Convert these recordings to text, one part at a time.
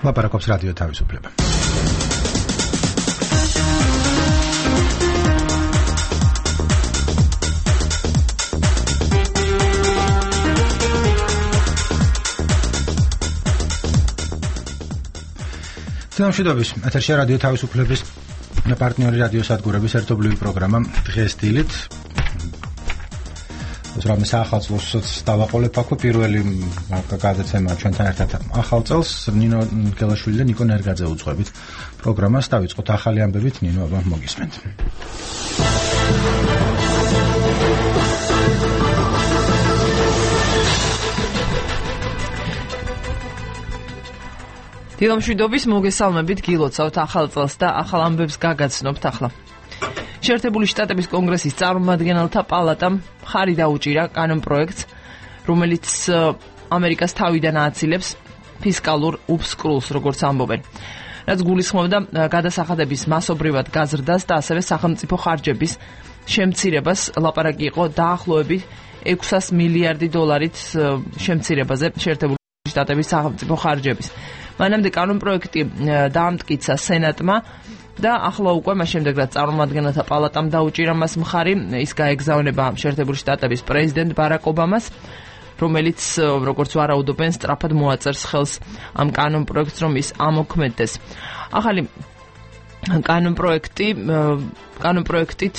ლაპარაკობს რადიო თავისუფლება. მშვიდობის, ეთერშია რადიო თავისუფლების პარტნიორი რადიო სადგურების ერთობლივი პროგრამა დღეს დილით. რამე საახალწლოსაც დავაყოლებ აქვე პირველი გადაცემა ჩვენთან ერთად ახალ წელს ნინო გელაშვილი და ნიკო ნერგაძე უძღვებით პროგრამას. დავიწყოთ ახალი ამბებით, ნინო, აბა მოგისმენთ. დილამშვიდობის, მოგესალმებით, გილოცავთ ახალ წელს და ახალ ამბებს გაგაცნობთ ახლა. შეერთებული შტატების კონგრესის წარმომადგენელთა პალატამ ხარი დაუჭირა კანონპროექტს, რომელიც ამერიკას თავიდან ააცილებს ფისკალურ უბსკრულს, როგორც ამბობენ. რაც გულისხმობდა გადასახადების მასობრივად გაზრდას და ასევე სახელმწიფო ხარჯების შემცირებას. ლაპარაკი იყო დაახლოებით 600 მილიარდი დოლარით შემცირებაზე შეერთებული შტატების სახელმწიფო ხარჯების. მანამდე კანონპროექტი დაამტკიცა სენატმა და ახლა უკვე მას შემდეგ რაც წარმომადგენელთა პალატამ დაუჭირა მას მხარი, ის გაეგზავნება შეერთებული შტატების პრეზიდენტ ბარაკ ობამას, რომელიც როგორც ვარაუდობენ სწრაფად მოაწერს ხელს ამ კანონპროექტს, რომ ის ამოქმედდეს. ახალი კანონპროექტით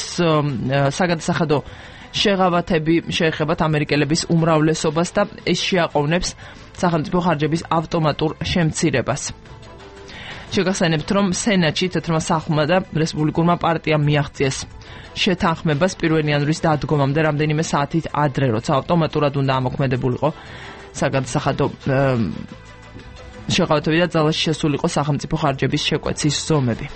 საგადასახადო შეღავათები შეეხებათ ამერიკელების უმრავლესობას და ეს შეაყოვნებს სახელმწიფო ხარჯების ავტომატურ შემცირებას. შეგახსენებთ, რომ სენატში თეთრმა სახლმა და რესპუბლიკურმა პარტიამ მიაღწიეს შეთანხმებას 1 იანვრის დადგომამდე რამდენიმე საათით ადრე, როცა ავტომატურად უნდა ამოქმედებულიყო საგადასახადო შეღავათები და ძალაში შესულიყო სახელმწიფო ხარჯების შეკვეცის ზომები.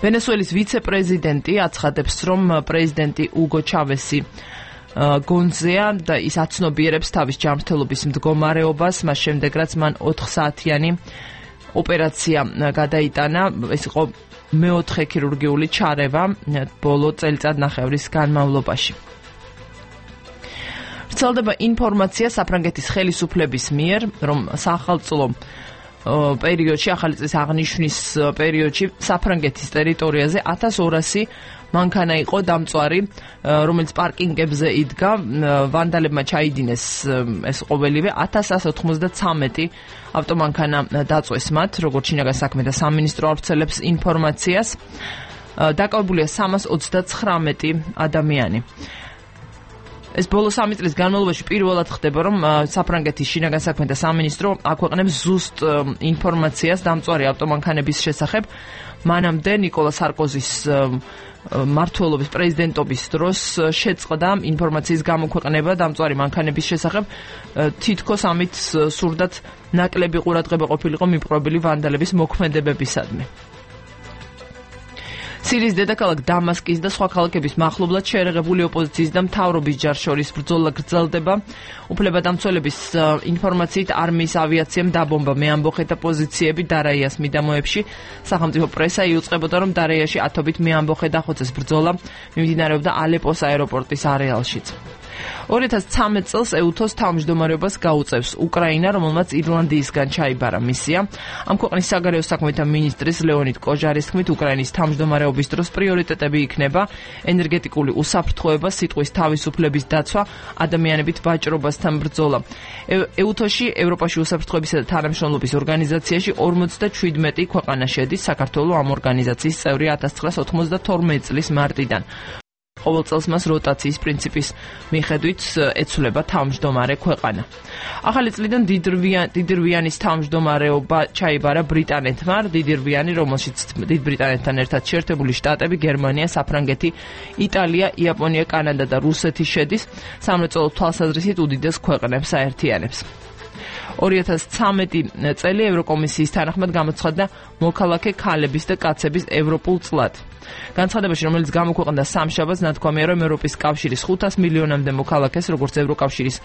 ვენესუელის ვიცე-პრეზიდენტი აცხადებს, რომ პრეზიდენტი უგო ჩავესი გონზეა და ის აცნობიერებს თავის ჯანმრთელობის მდგომარეობას, მას შემდეგ რაც მან 4 საათიანი ოპერაცია გადაიტანა. ეს იყო მეოთხე ქირურგიული ჩარევა ბოლო წელიწადნახევრის განმავლობაში. ვრცელდება ინფორმაცია საფრანგეთის ხელისუფლების მიერ, რომ სახელმწიფო პერიოდში, ახალი წლის აღნიშვნის პერიოდში საფრანგეთის ტერიტორიაზე 1200 მანქანა იყო დამწვარი, რომელიც პარკინგებზე იდგა. ვანდალებმა ჩაიდინეს ეს ყოველივე 1193 ავტომანქანა დაწვეს მათ, როგორც შინაგან საქმეთა სამინისტრო ავრცელებს ინფორმაციას. დაკავებულია 339 ადამიანი. ეს ბოლო 3 წლის განმავლობაში პირველად ხდება, რომ საფრანგეთის შინაგან საქმეთა სამინისტრო აქვეყნებს ზუსტ ინფორმაციას დამწვარი ავტომანქანების შესახებ. მანამდე ნიკოლა სარკოზის მმართველობის პრეზიდენტობის დროს შეწყდა ინფორმაციის გამოქვეყნება დამწვარი მანქანების შესახებ. თითქოს ამით სურდათ ნაკლები ყურადღება ყოფილიყო მიპყრობილი ვანდალების მოქმედებებისადმი. სირიის დედაქალაქ დამასკის და სხვა ქალაქების მახლობლად შეერაღებული ოპოზიციის და მთავრობის ჯარს შორის ბრძოლა გრძელდება. უფლებადამცველების ინფორმაციით არმიის ავიაციამ დაბომბა მეამბოხეთა პოზიციები დარაიას მიდამოებში. სახელმწიფო პრესა იუწყებოდა, რომ დარაიაში ათობით მეამბოხე დახოცეს. ბრძოლა მიმდინარეობდა ალეპოს აეროპორტის არეალშიც. 2013 წელს ეუთოს თავმჯდომარეობას გაუწევს უკრაინა, რომელმაც ირლანდიისგან ჩაიბარა მისია. ამ ქვეყნის საგარეო საქმეთა მინისტრის ლეონიდ კოჟარის თქმით, უკრაინის თავმჯდომარეობის დროს პრიორიტეტები იქნება ენერგეტიკული უსაფრთხოება, სიტყვის თავისუფლების დაცვა, ადამიანებით ვაჭრობასთან ბრძოლა. ეუთოში, ევროპაში უსაფრთხოებისა და თანამშრომლობის ორგანიზაციაში 57 ქვეყანა შედის. საქართველო ამ ორგანიზაციის წევრი 1992 წლის მარტიდან. ყოველ წელს მას როტაციის პრინციპის მიხედვით ეცვლება თავმჯდომარე ქვეყანა. ახალი წლიდან დიდრვიანის თავმჯდომარეობა ჩაიბარა ბრიტანეთმა. დიდრვიანი, რომელშიც დიდ ბრიტანეთთან ერთად შეერთებული შტატები, გერმანია, საფრანგეთი, იტალია, იაპონია, კანადა და რუსეთი შედის. სამრეწველო თვალსაზრისით უდიდეს ქვეყნებს აერთიანებს. 2013 წელი ევროკომისიის თანახმად გამოცხადდა მოქალაქე ქალების და კაცების ევროპულ წლად. განცხადებაში, რომელიც გამოქვეყნდა სამშაბათს, ნათქვამია, რომ ევროპის კავშირის 500 მილიონამდე მოქალაქეს, როგორც ევროკავშირის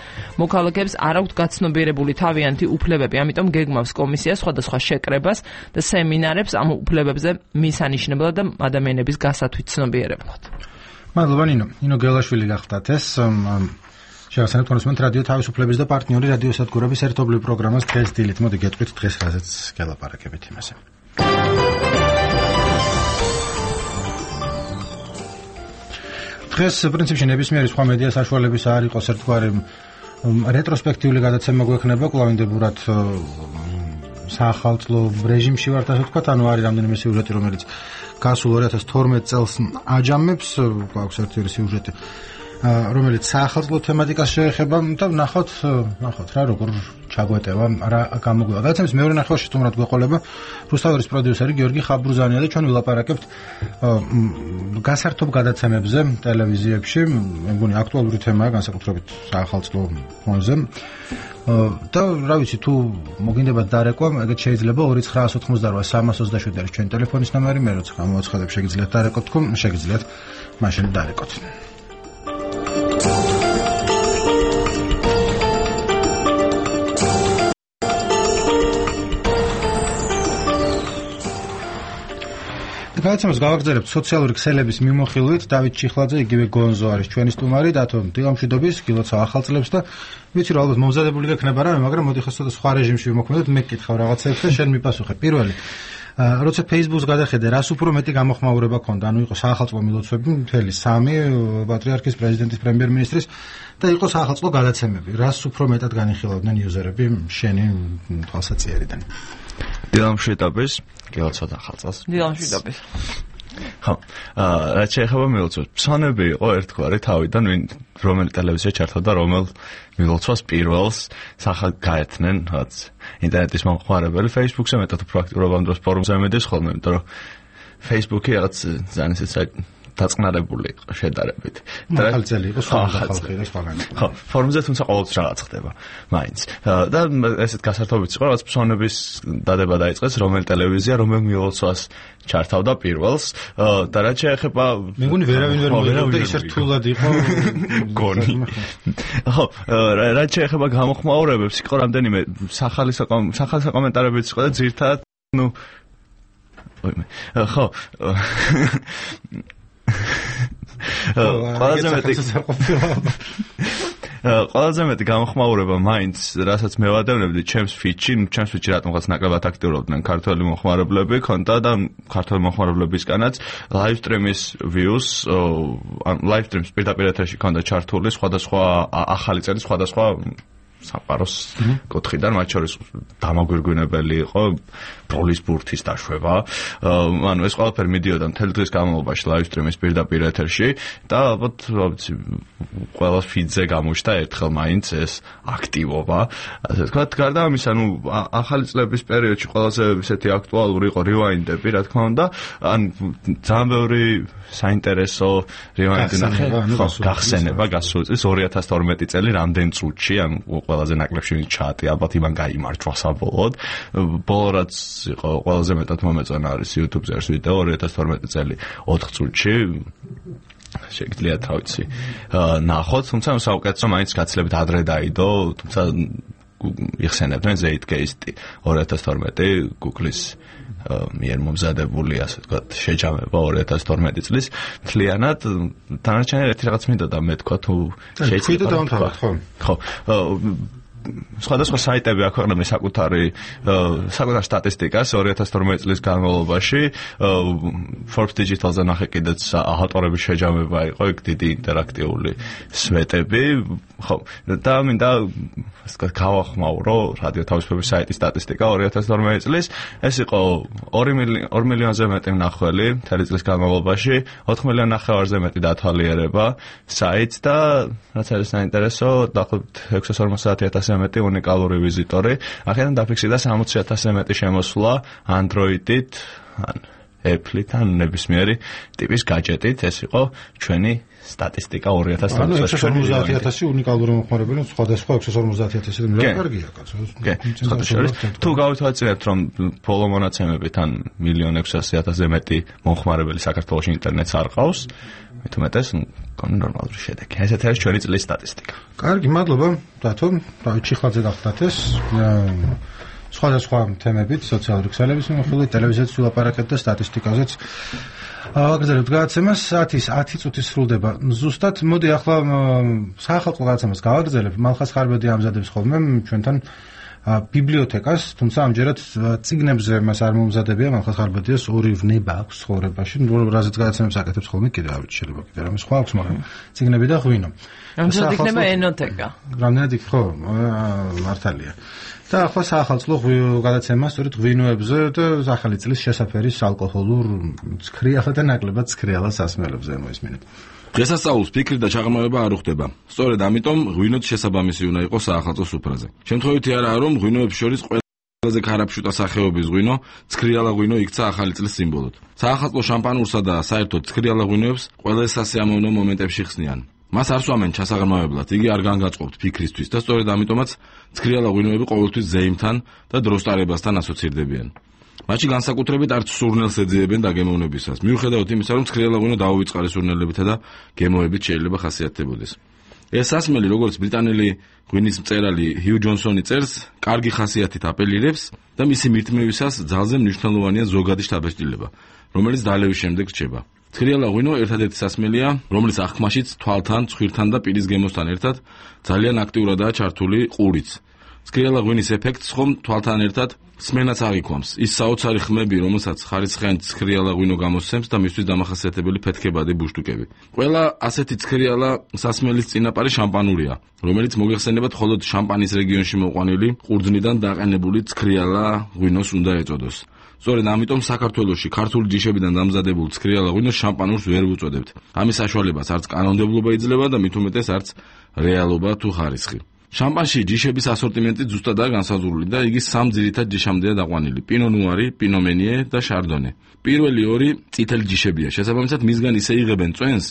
მოქალაქეებს, არ აქვთ გაცნობიერებული თავიანთი უფლებები. ამიტომ გეგმავს კომისია სხვადასხვა შეკრებას და სემინარებს ამ უფლებებზე მისანიშნებლად და ადამიანების გასათვით ცნობიერებლად. მადლობა ნინო. ნინო გელაშვილი გახდათ ეს შევასწავლეთ კონსუმენტ რადიო თავისუფლების და პარტნიორი რადიოსადგურების ერთობლივ პროგრამას დღეს დილით. მოდი გეტყვით დღეს რაზეც გელაპარაკებით იმაზე. დღეს პრინციპში ნებისმიერი სხვა მედია საშუალების არ იყოს ერთგვარი რეტროსპექტიული გადაცემა გვექნება კვლავინდებურად საახალწლო რეჟიმში ვართ ასე ვთქვათ, ანუ არის რამდენიმე სიუჟეტი, რომელიც გასულ 2012 წელს აჯამებს, გვაქვს ერთი სიუჟეტი, რომელიც საახალწლო თემატიკას შეეხება და ნახავთ რა როგორ ჩაგვეტევა, რა გამოგვივა. გადაცემის მეორე ნახევარში სტუმრად გვეყოლება რუსთაველის პროდიუსერი გიორგი ხაბურზანია და ჩვენ ვილაპარაკებთ გასართობ გადაცემებზე ტელევიზიებში, მე მგონი აქტუალური თემაა განსაკუთრებით საახალწლო ფონზე. და რა ვიცი, თუ მოგინდებათ დარეკვა, ეგეთ შეიძლება 2988 არის ჩვენი ტელეფონის ნომერი, მე როცა გამოაცხადებ შეგიძლიათ დარეკოთ თქო, შეგიძლიათ მაშინ დარეკოთ. გადაცემას გავაგრძელებთ სოციალური ქსელების მიმოხილვით. დავით ჩიხლაძე, იგივე გონზო არის ჩვენი სტუმარი, დათო დილამშვიდობის, გილოცავ ახალ წლებს და ვიცი რომ ალბათ მომზადებული გექნება რამე, მაგრამ მოდი ხა სხვა რეჟიმში ვიმოქმედოთ, მე გკითხავ რაღაცებს და შენ მიპასუხე. პირველი, როცა Facebook-ს გადახედე, რას უფრო მეტი გამოხმაურება ქონდა, ანუ იყო საახალწლო მილოცვები, მთელი 3 პატრიარქის, პრეზიდენტის, პრემიერ-მინისტრის და იყო საახალწლო გადაცემები. რას უფრო მეტად განიხილავდნენ იუზერები შენი თვალსაჩინარიდან? დილამშვიდობის, გილოცავ ახალწელს. დილამშვიდობის. ხო, რაც შეეხება მილოცვას, ფსონები იყო ერთგვარი თავიდან, რომელი ტელევიზია ჩართავდა რომელ მილოცვას პირველს სახად გაერთნენ, რაც ინტერნეტის მომხმარებელი, Facebook-ზე მეტად უფრო აქტიურობა ამ დროს ფორუმზე მედეს ხოლმე, იმიტომ რომ Facebook-ი რაღაც ძალიან ისე დაწყნარებული იყო შედარებით. ახალწელი იყო ხალხი და სხვაგან. ხო, ფორუმზე თუმცა ყოველთვის რაღაც ხდება, მაინც. და ესეთ გასართობიც იყო, რაც ფსონების დადება დაიწყეს, რომელი ტელევიზია, რომელ მილოცვას ჩართავდა პირველს და რაც შეეხება მე მგონი ვერავინ ვერ მოვიდა ისე რთულად იყო გონი. ხო, რაც შეეხება გამოხმაურებებს, იყო რამდენიმე სახალი საკომენტარებიც იყო და ძირთად, ნუ ხო ყველაზე მეტი გამოხმაურება მაინც, რასაც მე ვადევნებდი ჩემს ფიჩში რატომღაც ნაკლებად აქტიურობდნენ ქართველი მომხმარებლები, ქონდა და ქართველი მომხმარებლებისგანაც live stream-ის views, live stream-ის პირდაპირ ეთერში ქონდა ჩართული სხვადასხვა ახალი წელი, სხვადასხვა სამყაროს კუთხიდან, მათ შორის დამაგვირგვინებელი იყო ბროლის ბურთის დაშვება. ანუ ეს ყველაფერი მიდიოდა მთელი დღის განმავლობაში live stream-ის პირდაპირ ეთერში და ალბათ ყველას ფიდზე გამოჩნდა ერთხელ მაინც ეს აქტივობა. ასე ვთქვათ, გარდა ამისა, ანუ ახალი წლების პერიოდში ყველაზე ისეთი აქტუალური იყო rewind-ები, რა თქმა უნდა, ან ძალიან ბევრი საინტერესო rewind-ი გახსენება გასულ წელს 2012 წელი რამდენ წუთში, ან ყველაზე ნაკლებში ჩატი, ალბათ იმან გაიმარჯვა საბოლოოდ. ბოლო რაც იყო ყველაზე მეტად მომეწონა არის YouTube-ზე არის ვიდეო 2012 წელი 4 წუთში. შეგიძლიათ რა ვიცი ნახოთ, თუმცა საუკეთესო მაინც გაცილებით ადრე დაიდო, თუმცა იხსენებდნენ Zeitgeist 2012 Google-ის მიერ მომზადებული, ასე ვთქვათ, შეჯამება 2012 წლის მთლიანად. დანარჩენი ერთი რაღაც მინდოდა მე თქვა თუ შეიძლება დავამთავროთ, ხო? ხო. სხვადასხვა საიტები აქვეყნებენ საკუთარ სტატისტიკას 2012 წლის განმავლობაში. Forbes Digital-ზე ნახე კიდეც ავტორების შეჯამება იყო, იქ დიდი ინტერაქტიული სვეტები. ხო, და მინდა ასე ვთქვათ, გავახმაურო რადიო თავისუფლების საიტის სტატისტიკა 2012 წლის. ეს იყო 2 მილიონზე მეტი მნახველი მთელი წლის განმავლობაში, 4 მილიონ ნახევარზე მეტი დათვალიერება საიტს და რაც არის საინტერესო, დაახლოებით 650,000-ზე მეტი უნიკალური ვიზიტორი. აქედან დაფიქსირდა 60,000-ზე მეტი შემოსვლა Android-ით, ან Apple-ით, ან ნებისმიერი ტიპის гаджеტით. ეს იყო ჩვენი სტატისტიკა 2012 წელს. 650,000 უნიკალური მომხმარებელი, სხვადასხვა 650,000 და კარგია, კაცო. თუ გავითვალისწინებთ, რომ ბოლო მონაცემებით ან 1,600,000-ზე მეტი მომხმარებელი საქართველოში ინტერნეტს არ ყავს, მithumetes კონი ნორმალური შედეგი. ესეთ არის ჩვენი წლის სტატისტიკა. კარგი, მადლობა, დათო. დავით ჩიხლაძე გახდათ ეს. სხვადასხვა თემებით, სოციალური ქსელების მიმოხილვით, ტელევიზიაზეც ვილაპარაკეთ და სტატისტიკაზეც. აგრძელებთ გადაცემას 10 წუთი სრულდება. ზუსტად მოდი ახლა საახალწლო გადაცემას გავაგრძელებ. მალხაზ ხარბედი ამზადებს ხოლმე ჩვენთან ბიბლიოთეკას, თუმცა ამჯერად წიგნებზე მას არ მომზადებია. მალხაზ ხარბედიას ორი ვნება აქვს ცხოვრებაში. რაზეც გადაცემებს აკეთებს ხოლმე კიდე არ ვიცი, შეიძლება კიდე რამე სხვა აქვს, მაგრამ წიგნები და ღვინო. ამჯერად იქნება ენოთეკა. რამდენად იქ ხო, მართალია. და ახლა საახალწლო გადაცემა სწორედ ღვინოებზე და ახალი წლის შესაფერის ალკოჰოლურ ცქრიალა და ნაკლებად ცქრიალა სასმელებზე მოისმინეთ. დღესასწაულს ფიქრი და ჩაღრმავება არ უხდება. სწორედ ამიტომ ღვინოც შესაბამისი უნდა იყოს საახალწლო სუფრაზე. შემთხვევითი არაა, რომ ღვინოებს შორის ყველაზე ქარაფშუტა სახეობის ღვინო, ცქრიალა ღვინო იქცა ახალი წლის სიმბოლოდ. საახალწლო შამპანურსა და საერთოდ ცქრიალა ღვინოებს ყველა სასიამოვნო მომენტებში ხსნიან. მას არ სვამენ ჩასაღრმავებლად, იგი არ განგაწყობთ ფიქრისთვის და სწორედ ამიტომაც ცქრიალა ღვინოები ყოველთვის ზეიმთან და დროს ტარებასთან ასოცირდებიან. მათში განსაკუთრებით არც სურნელს ეძიებენ დაგემოვნებისას. მიუხედავად იმისა, რომ ცქრიალა ღვინო დაუვიწყარი სურნელებითა და გემოებით შეიძლება ხასიათდებოდეს. ეს სასმელი, როგორც ბრიტანელი ღვინის მწერალი ჰიუ ჯონსონი წერს, კარგი ხასიათით აპელირებს და მისი მირთმევისას ძალზე მნიშვნელოვანია ზოგადი შთაბეჭდილება, რომელიც დალევის შემდეგ რჩება. ცქრიალა ღვინო ერთადერთი სასმელია, რომელიც აღქმაშიც თვალთან, ცხვირთან და პირის გემოსთან ერთად ძალიან აქტიურადაა ჩართული ყურიც. ცქრიალა ღვინის ეფექტს ხომ თვალთან ერთად სმენაც აღიქვამს. ის საოცარი ხმები, რომელსაც ხარისხიან ცქრიალა ღვინო გამოსცემს და მისთვის დამახასიათებელი ფეთქებადი ბუშტუკები. ყველა ასეთი ცქრიალა სასმელის წინაპარი შამპანურია, რომელიც მოგეხსენებათ მხოლოდ შამპანის რეგიონში მოყვანილი ყურძნიდან დაყენებული ცქრიალა ღვინოს უნდა ეწოდოს. სწორედ ამიტომ საქართველოში ქართული ჯიშებიდან დამზადებულ ცქრიალა ღვინოს შამპანურს ვერ ვუწოდებთ. ამის საშუალებას არც კანონმდებლობა იძლევა და მით უმეტეს არც რეალობა თუ ხარისხი. შამპანში ჯიშების ასორტიმენტი ზუსტადაა განსაზღვრული და იგი სამ ძირითად ჯიშამდეა დაყვანილი: პინო ნუარი, პინო მენიე და შარდონე. პირველი ორი წითელი ჯიშებია. შესაბამისად მისგან ისე იღებენ წვენს,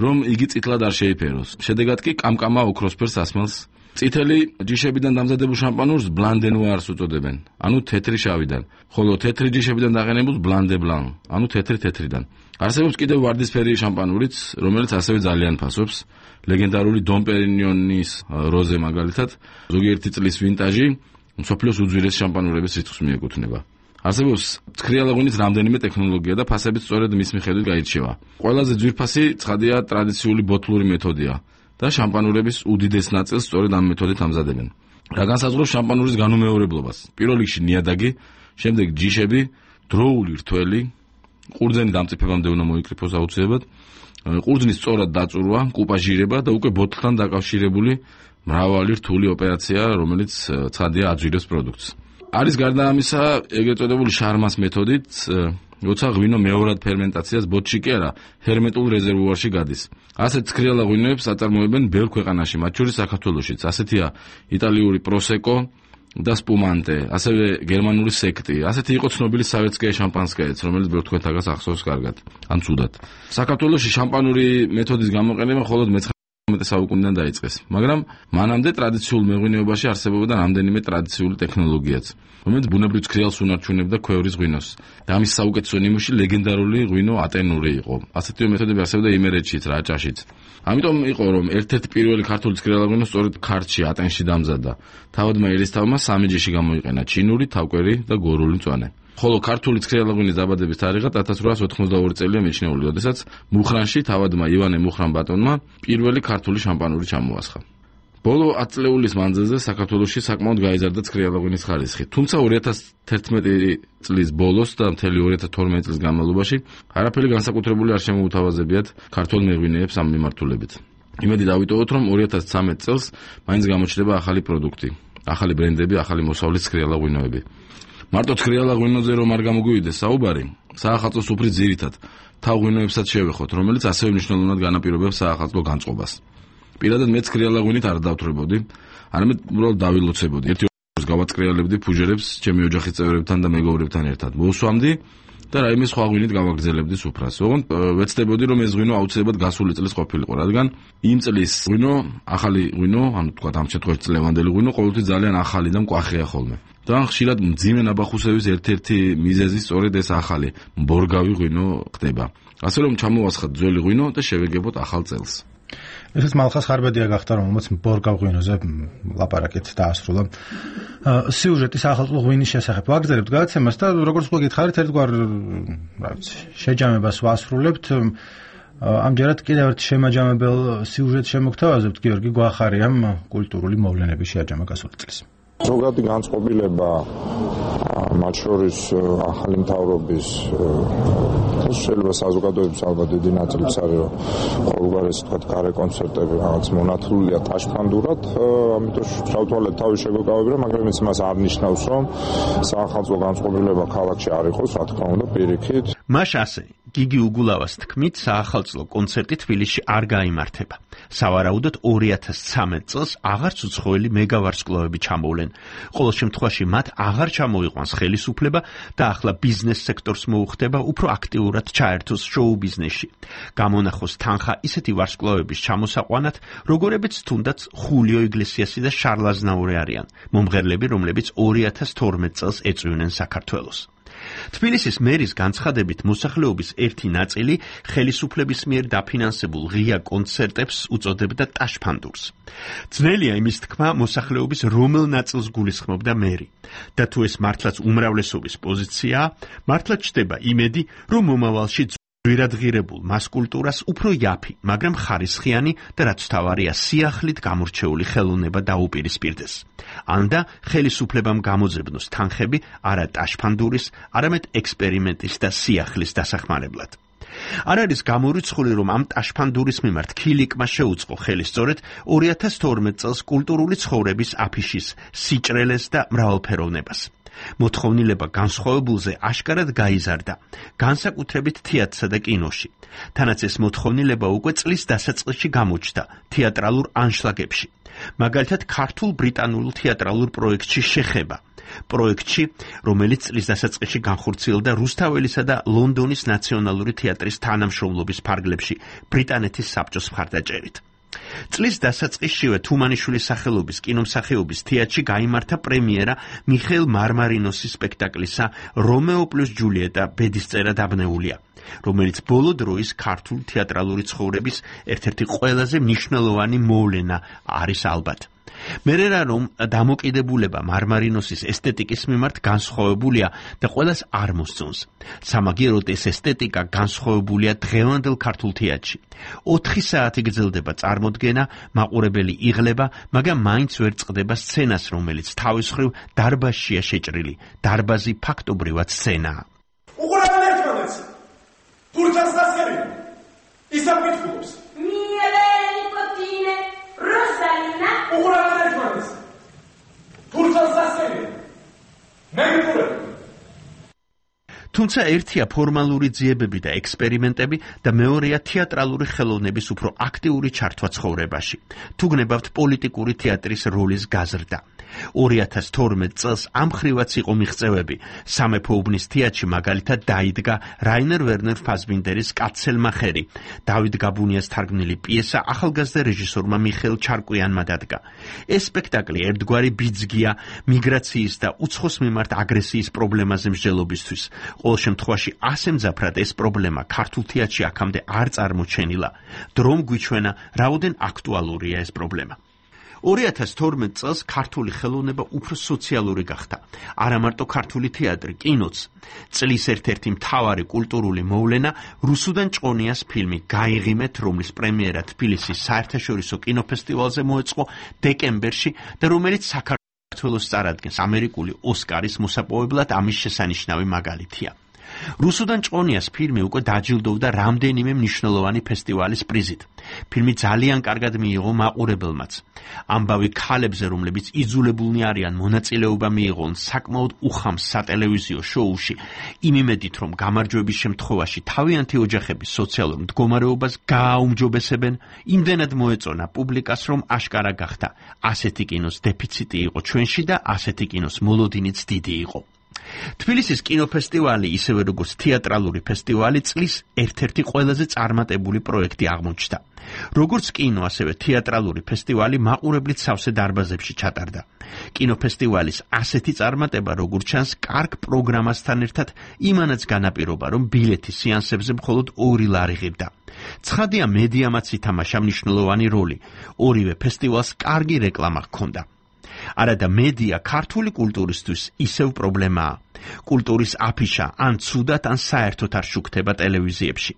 რომ იგი წითლად არ შეიფეროს. შედეგად კი კამკამა ოქროსფერ სასმელს. წითელი ჯიშებიდან დამზადებულ შამპანურს ბლან დე ნუარს უწოდებენ, ანუ თეთრი შავიდან, ხოლო თეთრი ჯიშებიდან დაყენებულს ბლან დე ბლან, ანუ თეთრიდან. არსებობს კიდევ ვარდისფერი შამპანურიც, რომელიც ასევე ძალიან ფასობს. ლეგენდარული დონ პერინიონის როზე მაგალითად, ზოგიერთი წლის ვინტაჟი, მსოფლიოს უძვირეს შამპანურების რიცხვს მიეკუთვნება. არსებობს ცქრიალა ღვინის რამდენიმე ტექნოლოგია და ფასებიც სწორედ მის მიხედვით გაირჩევა. ყველაზე ძვირფასი ცხადია ტრადიციული ბოთლური მეთოდია და შამპანურების უდიდეს ნაწილს სწორედ ამ მეთოდით ამზადებენ. რა განსაზღვრავს შამპანურის განუმეორებლობას? პირველ რიგში ნიადაგი, შემდეგ ჯიშები, დროული რთველი, ყურძენი დამწიფებამდე უნდა მოიკრიფოს აუცილებლად, ყურძნის სწორად დაწურვა, კუპაჟირება და უკვე ბოთლთან დაკავშირებული მრავალი რთული ოპერაცია, რომელიც ცხადია აძვირებს პროდუქტს. არის გარდა ამისა ეგრეთ წოდებული შარმას მეთოდით, როცა ღვინო მეორად ფერმენტაციას ბოთლში კი არა, ჰერმეტულ რეზერვუარში გადის. ასეთ ცქრიალა ღვინოებს აწარმოებენ ბევრ ქვეყანაში, მათ შორის საქართველოშიც. ასეთია იტალიური პროსეკო და სპუმანტე, ასევე გერმანული სექტი. ასეთი იყო ცნობილი სავეტსკაია შამპანსკაიაც, რომელიც ბევრ თქვენთაგას ახსოვს კარგად, ან ცუდად. საქართველოში შამპანური მეთოდის გამოყენება მხოლოდ მე-19 საუკუნიდან დაიწყეს, მაგრამ მანამდე ტრადიციულ მეღვინეობაში არსებობდა რამდენიმე ტრადიციული ტექნოლოგიაც, რომელიც ბუნებრივ ცქრიალს უნარჩუნებდა ქვევრის ღვინოს. და ამის საუკეთესო ნიმუში ლეგენდარული ღვინო ატენური იყო. ასეთივე მეთოდები არსებობდა იმერეთშიც, რაჭაშიც. ამიტომ იყო, რომ ერთ-ერთი პირველი ქართული ცქრიალა ღვინო სწორედ ქართლში, ატენში დამზადდა. თავადმა ერისთავმა სამი ჯიში გამოიყენა: ჩინური, თავკვერი და გორული მწვანე. ხოლო ქართული ცქრიალა ღვინის დაბადების თარიღად 1882 წელია მიჩნეული, როდესაც მუხრანში თავადმა ივანე მუხრან-ბატონმა პირველი ქართული შამპანური ჩამოასხა. ბოლო 10 წლეულის მანძილზე საქართველოში საკმაოდ გაიზარდა ცქრიალა ღვინის ხარისხი, თუმცა 2011 წლის ბოლოს და მთელი 2012 წლის განმავლობაში არაფერი განსაკუთრებული არ შემოუთავაზებიათ ქართულ მეღვინეებს ამ მიმართულებით. იმედი დავიტოვოთ, რომ 2013 წელს მაინც გამოჩნდება ახალი პროდუქტი, ახალი ბრენდები, ახალი მოსავლის ცქრიალა ღვინოები. მარტო ცქრიალა ღვინოზე რომ არ გამოგვივიდეს საუბარი, საახალწლო სუფრის ძირითად თავ ღვინოებსაც შევეხოთ, რომელიც ასევე მნიშვნელოვნად განაპირობებს საახალწლო განწყობას. პირადად მე ცქრიალა ღვინით არ დავთვრებოდი, არამედ უბრალოდ დავილოცებოდი. ერთი ორს გავაცკრიალებდი ფუჟერებს ჩემი ოჯახის წევრებთან და მეგობრებთან ერთად. მოვსვამდი და რაიმე სხვა ღვინით გავაგრძელებდი სუფრას. ოღონდ ვეცდებოდი, რომ ეს ღვინო აუცილებლად გასული წლის ყოფილიყო, რადგან იმ წლის ღვინო, ახალი ღვინო, ანუ თქვა ამ შემთხვევაში ლევანდელი ღვინო ყოველთვის ძალიან ახალი და მკვახეა ხოლმე. და ხშირად მძიმე ნაბახუსების ერთ-ერთი მიზეზი სწორედ ეს ახალი მბორგავი ღვინო ხდება. ასე რომ ჩამოვასხათ ძველი ღვინო და შევეგებოთ ახალ წელს. ესეც მალხას ხარბედია გახდა, რომელმაც ბორგა ღვინოზე ლაპარაკით დაასრულა. სიუჟეტის ახალწლო ღვინის შესახებ ვაგრძელებთ გადაცემას და როგორც უკვე გითხარით, ერთგვარ შეჯამებას ვასრულებთ. ამჯერად კიდევ ერთ შემაჯამებელ სიუჟეტს შემოგთავაზებთ, გიორგი გვახარიამ კულტურული მოვლენების შეაჯამა გასული წლის. ზოგადი განწყობილება მათ შორის ახალი მთავრობის შეიძლება საზოგადოების ალბათ დიდი ნაწილიც არის, რომ ყოველგვარი ესე ვთქვათ გარე კონცერტები რაღაც მონათლულია ტაშფანდურად, ამიტომ შავთვალეთ თავი შეგოკავებია, მაგრამ ეს მას არ ნიშნავს, რომ საახალწლო განწყობილება ქალაქში არ იყოს, რა თქმა უნდა, პირიქით. მაშ ასე გიგი უგულავას თქმით, საახალწლო კონცერტი თბილისში არ გაიმართება. სავარაუდოდ 2013 წელს აღარც უცხოელი მეგავარსკვლავები ჩამოვლენ. ყოველ შემთხვევაში მათ აღარ ჩამოიყვანს ხელისუფლება და ახლა ბიზნეს სექტორს მოუხდება უფრო აქტიურად ჩაერთოს შოუ ბიზნესში. გამონახოს თანხა ისეთი ვარსკვლავების ჩამოსაყვანად, როგორებიც თუნდაც ხულიო იგლესიასი და შარლ აზნაური არიან, მომღერლები, რომლებიც 2012 წელს ეწვივნენ საქართველოს. თბილისის მერის განცხადებით მოსახლეობის ერთი ნაწილი ხელისუფლების მიერ დაფინანსებულ ღია კონცერტებს უწოდებდა ტაშფანდურს. ძნელია იმის თქმა, მოსახლეობის რომელ ნაწილს გულისხმობდა მერი. და თუ ეს მართლაც უმრავლესობის პოზიციაა, მართლაც ჩდება იმედი, რომ მომავალში ძვირადღირებულ მასკულტურას უფრო იაფი, მაგრამ ხარისხიანი და რაც თავარია სიახლით გამორჩეული ხელოვნება დაუპირისპირდეს. ანდა ხელისუფლებამ გამოძებნოს თანხები არა ტაშფანდურის, არამედ ექსპერიმენტის და სიახლის დასახმარებლად. არ არის გამორიცხული, რომ ამ ტაშფანდურის მიმართ ქილიკმა შეუწყო ხელი სწორედ 2012 წელს კულტურული ცხოვრების აფიშის სიჭრელეს და მრავალფეროვნებას. მოთხოვნილება განსხვავებულზე აშკარად გაიზარდა, განსაკუთრებით თეატრსა და კინოში. თანაც ეს მოთხოვნილება უკვე წლის დასაწყისში გამოჩნდა თეატრალურ ანშლაგებში. მაგალითად, ქართულ-ბრიტანულ თეატრალურ პროექტში შეხება. პროექტში, რომელიც წლის დასაწყისში განხორციელდა რუსთაველისა და ლონდონის ნაციონალური თეატრის თანამშრომლობის ფარგლებში ბრიტანეთის საბჭოს მხარდაჭერით. წლის დასაწყისშივე თუმანიშვილის სახელობის კინომსახიობის თეატრში გაიმართა პრემიერა მიხეილ მარმარინოსის სპექტაკლისა რომეო პლუს ჯულიეტა ბედისწერა დაბნეულია, რომელიც ბოლო დროის ქართულ თეატრალური ცხოვრების ერთ-ერთი ყველაზე მნიშვნელოვანი მოვლენა არის ალბათ. მერერა რომ დამოკიდებულება მარმარინოსის ესთეტიკის მიმართ განსხვავებულია და ყველას არ მოსწონს. სამაგიეროდ ეს ესთეტიკა განსხვავებულია დღევანდელ ქართულ თეატრში. 4 საათი გრძელდება წარმოდგენა, მაყურებელი იღლება, მაგრამ მაინც ვერ წყდება სცენას, რომელიც თავის მხრივ დარბაზშია შეჭრილი. დარბაზი ფაქტობრივად სცენაა. უყურებენ ერთმანეთს. თურქეთს დასერენ. ისევ მithულობს. Rosalina. უყურებენ ერთმანეთს. თურქეთს დასერენ. თუმცა ერთია ფორმალური ძიებები და ექსპერიმენტები და მეორეა თეატრალური ხელოვნების უფრო აქტიური ჩართვა ცხოვრებაში. თუ გნებავთ პოლიტიკური თეატრის როლის გაზრდა. 2012 წელს ამ ხრივაც იყო მიღწევები. სამეფო უბნის თეატრში მაგალითად დაიდგა რაინერ ვერნერ ფასბინდერის კაცელმახერი. დავით გაბუნიას თარგმნილი პიესა ახალგაზრდა რეჟისორმა მიხეილ ჩარკვიანმა დადგა. ეს სპექტაკლი ერთგვარი ბიძგია მიგრაციის და უცხოს მიმართ აგრესიის პრობლემაზე მსჯელობისთვის. ყოველ შემთხვევაში ასე მძაფრად ეს პრობლემა ქართულ თეატრში აქამდე არ წარმოჩენილა. დრომ გვიჩვენა, რაოდენ აქტუალურია ეს პრობლემა. 2012 წელს ქართული ხელოვნება უფრო სოციალური გახდა. არა მარტო ქართული თეატრი, კინოც. წლის ერთ-ერთი მთავარი კულტურული მოვლენა რუსუდან ჭყონიას ფილმი გაიღიმეთ, რომლის პრემიერა თბილისის საერთაშორისო კინოფესტივალზე მოეწყო დეკემბერში და რომელიც საქართველოს წარადგენს ამერიკული ოსკარის მოსაპოვებლად, ამის შესანიშნავი მაგალითია. რუსუდან ჭყონიას ფილმი უკვე დაჯილდოვდა რამდენიმე მნიშვნელოვანი ფესტივალის პრიზით. ფილმი ძალიან კარგად მიიღო მაყურებელმაც. ამბავი ქალებზე, რომლებიც იძულებულნი არიან მონაწილეობა მიიღონ საკმაოდ უხამს სატელევიზიო შოუში, იმ იმედით, რომ გამარჯვების შემთხვევაში თავიანთი ოჯახების სოციალურ მდგომარეობას გააუმჯობესებენ, იმდენად მოეწონა პუბლიკას, რომ აშკარა გახდა. ასეთი კინოს დეფიციტი იყო ჩვენში და ასეთი კინოს მოლოდინიც დიდი იყო. თბილისის კინოფესტივალი, ისევე როგორც თეატრალური ფესტივალი, წლის ერთ-ერთი ყველაზე წარმატებული პროექტი აღმოჩნდა. როგორც კინო, ასევე თეატრალური ფესტივალი მაყურებლით სავსე დარბაზებში ჩატარდა. კინოფესტივალის ასეთი წარმატება, როგორც ჩანს, კარგ პროგრამასთან ერთად იმანაც განაპირობა, რომ ბილეთი სეანსებზე მხოლოდ 2 ლარი ღირდა. ცხადია, მედიამაც ითამაშა მნიშვნელოვანი როლი. ორივე ფესტივალს კარგი რეკლამა ჰქონდა. არადა მედია ქართული კულტურისთვის ისევ პრობლემაა. კულტურის აფიშა ან ცუდად, ან საერთოდ არ შუქდება ტელევიზიებში.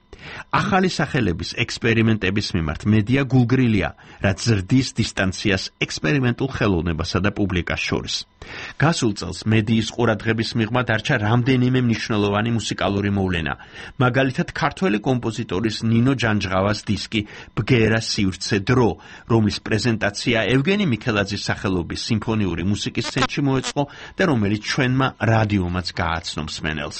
ახალი სახელების ექსპერიმენტების მიმართ მედია გულგრილია, რაც ზრდის დისტანციას ექსპერიმენტულ ხელოვნებასა და პუბლიკას შორის. გასულ წელს მედიის ყურადღების მიღმა დარჩა რამდენიმე მნიშვნელოვანი მუსიკალური მოვლენა. მაგალითად, ქართველი კომპოზიტორის ნინო ჯანჯღავას დისკი ბგერა სივრცე დრო, რომლის პრეზენტაცია ევგენი მიქელაძის სახელობის სიმფონიური მუსიკის ცენტრში მოეწყო და რომელიც ჩვენმა რადიომაც გააცნო მსმენელს.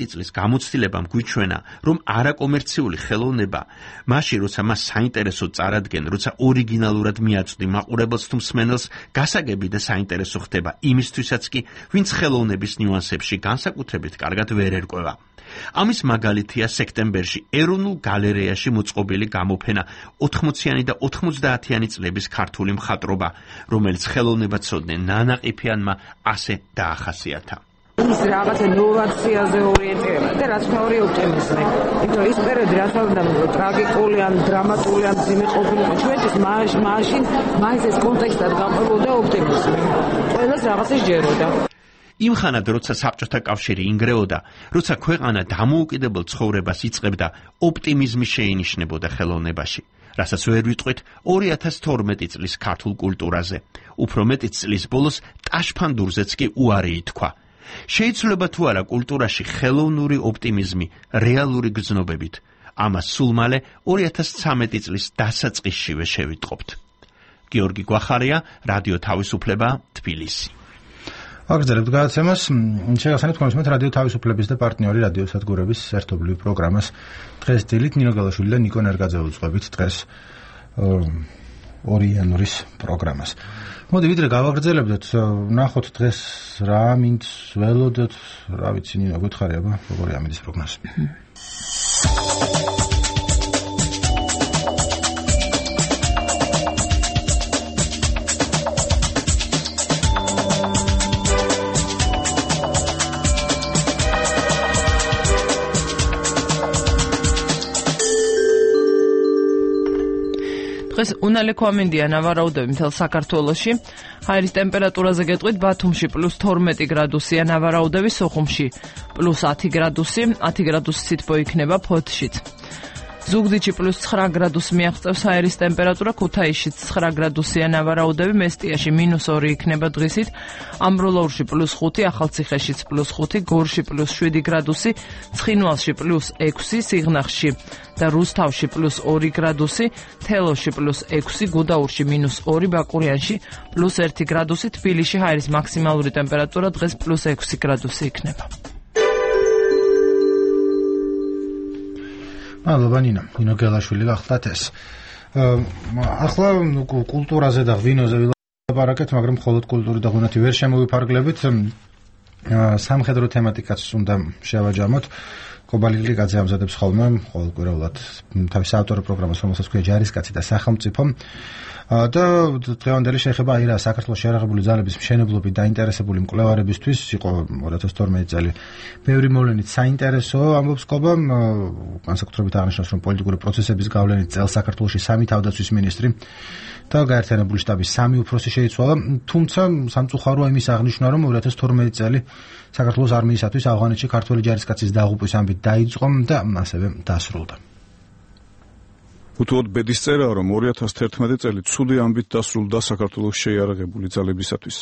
წლის გამოცდილებამ გვიჩვენა, რომ არაკომერციული ხელოვნება მაშინ, როცა მას საინტერესოდ წარადგენ, როცა ორიგინალურად მიაწვდი მაყურებელს თუ მსმენელს, გასაგები და საინტერესო ხდება იმისთვისაც კი, ვინც ხელოვნების ნიუანსებში განსაკუთრებით კარგად ვერ ერკვევა. ამის მაგალითია სექტემბერში ეროვნულ გალერეაში მოწყობილი გამოფენა 80-იანი და 90-იანი წლების ქართული მხატვრობა, რომელიც ხელოვნებაცოდნე ნანაყიფიანმა ასე დაახასიათა. ის რაღაცა ნოვაციაზე ორიენტირება და რაც მეორე ოპტიმიზმი. იმიტომ ის პერიოდი რასაც უნდა ტრაგიკული ან დრამატული ან ძიმე ყოფილიყო ჩვენთვის მაშინ მაინც ეს კონტექსტად გამყოლოდა ოპტიმიზმი. ყველას რაღაცა ჯეროდა. იმ ხანად, როცა საბჭოთა კავშირი ინგრეოდა, როცა ქვეყანა დამოუკიდებელ ცხოვრებას იწყებდა, ოპტიმიზმი შეინიშნებოდა ხელოვნებაში. რასაც ვერ ვიტყვით 2012 წლის ქართულ კულტურაზე. უფრო მეტიც წლის ბოლოს ტაშფანდურზეც კი უარი ითქვა. შეიძლება თუ არა კულტურაში ხელოვნური ოპტიმიზმი რეალური გრძნობებით. ამას სულ მალე 2013 წლის დასაწყისშივე შევიტყობთ. გიორგი გვახარია, რადიო თავისუფლება, თბილისი. აგრძელებთ გადაცემას. შეგახსენებთ თქვენს რადიო თავისუფლების და პარტნიორი რადიო სადგურების ერთობლივ პროგრამას. დღეს დილით ნინო გელაშვილი და ნიკო ნერგაძე უძღვებით დღეს 2 იანვრის პროგრამას. მოდი ვიდრე გავაგრძელებდეთ, ნახოთ დღეს რა მინც ველოდოთ, რა ვიცი ნინო გითხარი აბა, როგორი ამინდის პროგნოზი. დღეს უნალექო ამინდია ნავარაუდები მთელ საქართველოში. ჰაერის ტემპერატურაზე გეტყვით, ბათუმში +12 გრადუსია ნავარაუდები, სოხუმში +10 გრადუსი, 10 გრადუსი სითბო იქნება ფოთშიც. ზუგდიდში +9 გრადუსი მიაღწევს ჰაერის ტემპერატურა, ქუთაისში 9 გრადუსია ნავარაუდები, მესტიაში -2 იქნება დღისით, ამბროლაურში +5, ახალციხეშიც +5, გორში +7 გრადუსი, ცხინვალში +6, სიღნაღში და რუსთავში +2 გრადუსი, თელოში +6, გუდაურში -2, ბაკურიანში +1 გრადუსი, თბილისში ჰაერის მაქსიმალური ტემპერატურა დღეს +6 გრადუსი იქნება. მადლობა ნინო გელაშვილი გახლდათ ეს. ახლა კულტურაზე და ღვინოზე ვილაპარაკეთ, მაგრამ მხოლოდ კულტური და ღვინოთი ვერ შემოვიფარგლებით. სამხედრო თემატიკაც უნდა შევაჯამოთ. კობალი გლიკაძე ამზადებს ხოლმე ყოველკვირეულად თავის ავტორ პროგრამას, რომელსაც ქვია ჯარისკაცი და სახელმწიფო. და დღევანდელი შეხება აი რა საქართველოს შეიარაღებული ძალების მშენებლობით დაინტერესებული მკვლევარებისთვის იყო 2012 წელი. ბევრი მოვლენით საინტერესო ამბობს კობა, განსაკუთრებით აღნიშნავს, რომ პოლიტიკური პროცესების გავლენით წელს საქართველოში 3 თავდაცვის მინისტრი და გაერთიანებული შტაბის 3 უფროსი შეიცვალა, თუმცა სამწუხაროა იმის აღნიშვნა, რომ 2012 წელი საქართველოს არმიისათვის ავღანეთში ქართველი ჯარისკაცის დაღუპვის ამბით დაიწყო და ასევე დასრულდა. უთუოდ ბედის წერაა, რომ 2011 წელი ცუდი ამბით დასრულდა საქართველოს შეიარაღებული ძალებისათვის.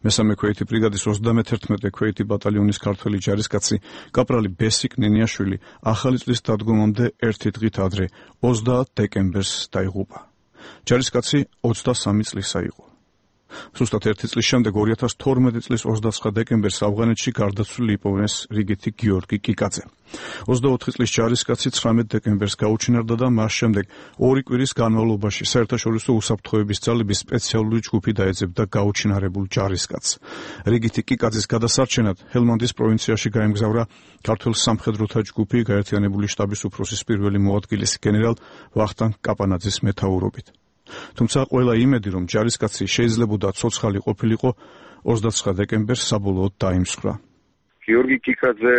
მესამე ქვეითი ბრიგადის 31 ქვეითი ბატალიონის ქართველი ჯარისკაცი კაპრალი ბესიკ ნენიაშვილი ახალი წლის დადგომამდე ერთი დღით ადრე 30 დეკემბერს დაიღუპა. ჯარისკაცი 23 წლისა იყო. ზუსტად 1 წლის შემდეგ 2012 წლის 29 დეკემბერს ავღანეთში გარდაცვლილი იპოვეს რიგითი გიორგი კიკაძე. 24 წლის ჯარისკაცი 19 დეკემბერს გაუჩინარდა და მას შემდეგ 2 კვირის განმავლობაში საერთაშორისო უსაფრთხოების ძალების სპეციალური ჯგუფი დაეძებდა გაუჩინარებულ ჯარისკაცს. რიგითი კიკაძის გადასარჩენად ჰელმანდის პროვინციაში გაემგზავრა ქართულ სამხედროთა ჯგუფი გაერთიანებული შტაბის უფროსის პირველი მოადგილის გენერალ ვახტანგ კაპანაძის მეთაურობით. თუმცა ყველა იმედი, რომ ჯარისკაცი შეიძლებოდა ცოცხალი ყოფილიყო, 29 დეკემბერს საბოლოოდ დაიმსხვრა. გიორგი კიკაძე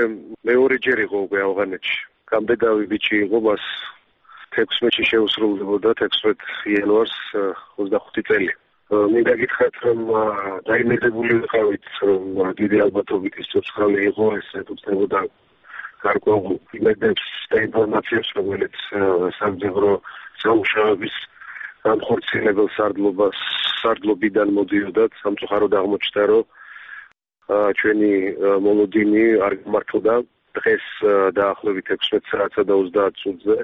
მეორეჯერ იყო უკვე ავღანეთში. გამდეგავი ბიჭი იყო, მას 16-ში შეუსრულდებოდა 16 იანვარს 25 წელი. მინდა გითხრათ, რომ დაიმედებული ვიყავით, რომ დიდი ალბათობით ის ცოცხალი იყო, ეს ეთუცნებოდა გარკვეულ იმედებს და ინფორმაციებს, რომელიც სამძებრო სამუშაოების განხორციელებელ სარდლობიდან მოდიოდა. სამწუხაროდ აღმოჩნდა, რომ ჩვენი მოლოდინი არ გამართლდა. დღეს დაახლოებით 16 საათსა და 30 წუთზე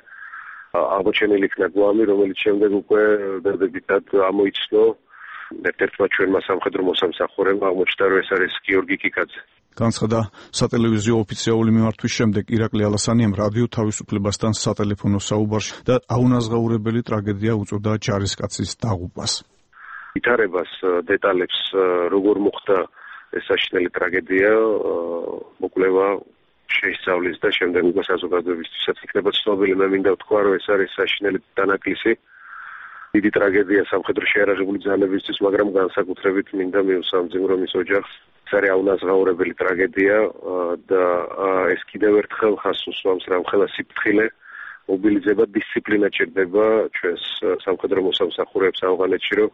აღმოჩენილი იქნა გვამი, რომელიც შემდეგ უკვე დადებითად ამოიცნო ერთ-ერთმა ჩვენმა სამხედრო მოსამსახურემ. აღმოჩნდა, რომ ეს არის გიორგი კიკაძე. განცხადა სატელევიზიო ოფიციალური მიმართვის შემდეგ ირაკლი ალასანიამ რადიო თავისუფლებასთან სატელეფონო საუბარში და აუნაზღაურებელი ტრაგედია უწოდა ჯარისკაცის დაღუპვას. ვითარებას დეტალებს როგორ მოხდა ეს საშინელი ტრაგედია მოკვლევა შეისწავლის და შემდეგ უკვე საზოგადოებისთვისაც იქნება ცნობილი. მე მინდა ვთქვა, რომ ეს არის საშინელი დანაკლისი, დიდი ტრაგედია სამხედრო შეიარაღებული ძალებისთვის, მაგრამ განსაკუთრებით მინდა მივსამძიმრო მის ოჯახს. ეს არის აუნაზღაურებელი ტრაგედია და ეს კიდევ ერთხელ ხაზს უსვამს რამხელა სიფრთხილე, მობილიზება, დისციპლინა ჭირდება ჩვენს სამხედრო მოსამსახურეებს ავღანეთში, რომ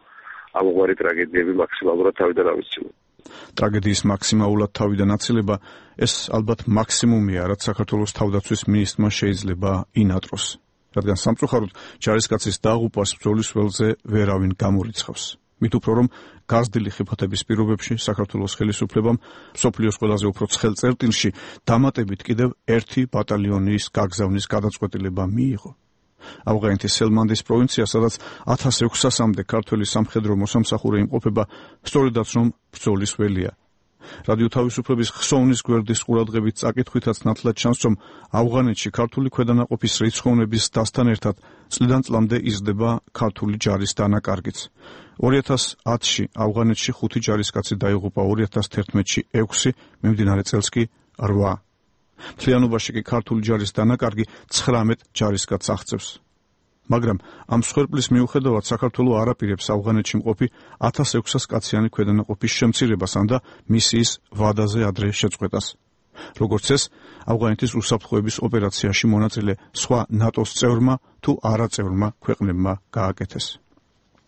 ამგვარი ტრაგედიები მაქსიმალურად თავიდან ავისწინოთ. ტრაგედიის მაქსიმალურად თავიდან აცილება ეს ალბათ მაქსიმუმია, რაც საქართველოს თავდაცვის მინისტრმა შეიძლება ინატროს, რადგან სამწუხაროდ ჯარისკაცის დაღუპვას ბრძოლის ველზე ვერავინ გამორიცხავს. მით უფრო რომ გაზრდილი ხიფათების პირობებში საქართველოს ხელისუფლებამ მსოფლიოს ყველაზე უფრო ცხელ წერტილში დამატებით კიდევ 1 ბატალიონის გაგზავნის გადაწყვეტილება მიიღო. ავღანეთის ჰელმანდის პროვინცია, სადაც 1600-მდე ქართველი სამხედრო მოსამსახურე იმყოფება, სწორედაც რომ ბრძოლის ველია. რადიო თავისუფლების ხსოვნის გვერდის ყურადღებით წაკითხვითაც ნათლად ჩანს, რომ ავღანეთში ქართული ქვედანაყოფის რიცხოვნების დასთან ერთად წლიდან წლამდე იზრდება ქართული ჯარის დანაკარგიც. 2010-ში ავღანეთში 5 ჯარისკაცი დაიღუპა, 2011-ში 6, მიმდინარე წელს კი 8. მთლიანობაში კი ქართული ჯარის დანაკარგი 19 ჯარისკაცს აღწევს. მაგრამ ამ მსხვერპლის მიუხედავად საქართველოს არ აპირებს ავღანეთში მყოფი 1600 კაციანი ქვედანაყოფის შემცირებას და მისიის ვადაზე ადრე შეწყვეტას. როგორც ეს, ავღანეთის უსაფრთხოების ოპერაციაში მონაწილე სხვა ნატოს წევრმა თუ არაწევრმა ქვეყნებმა გააკეთეს.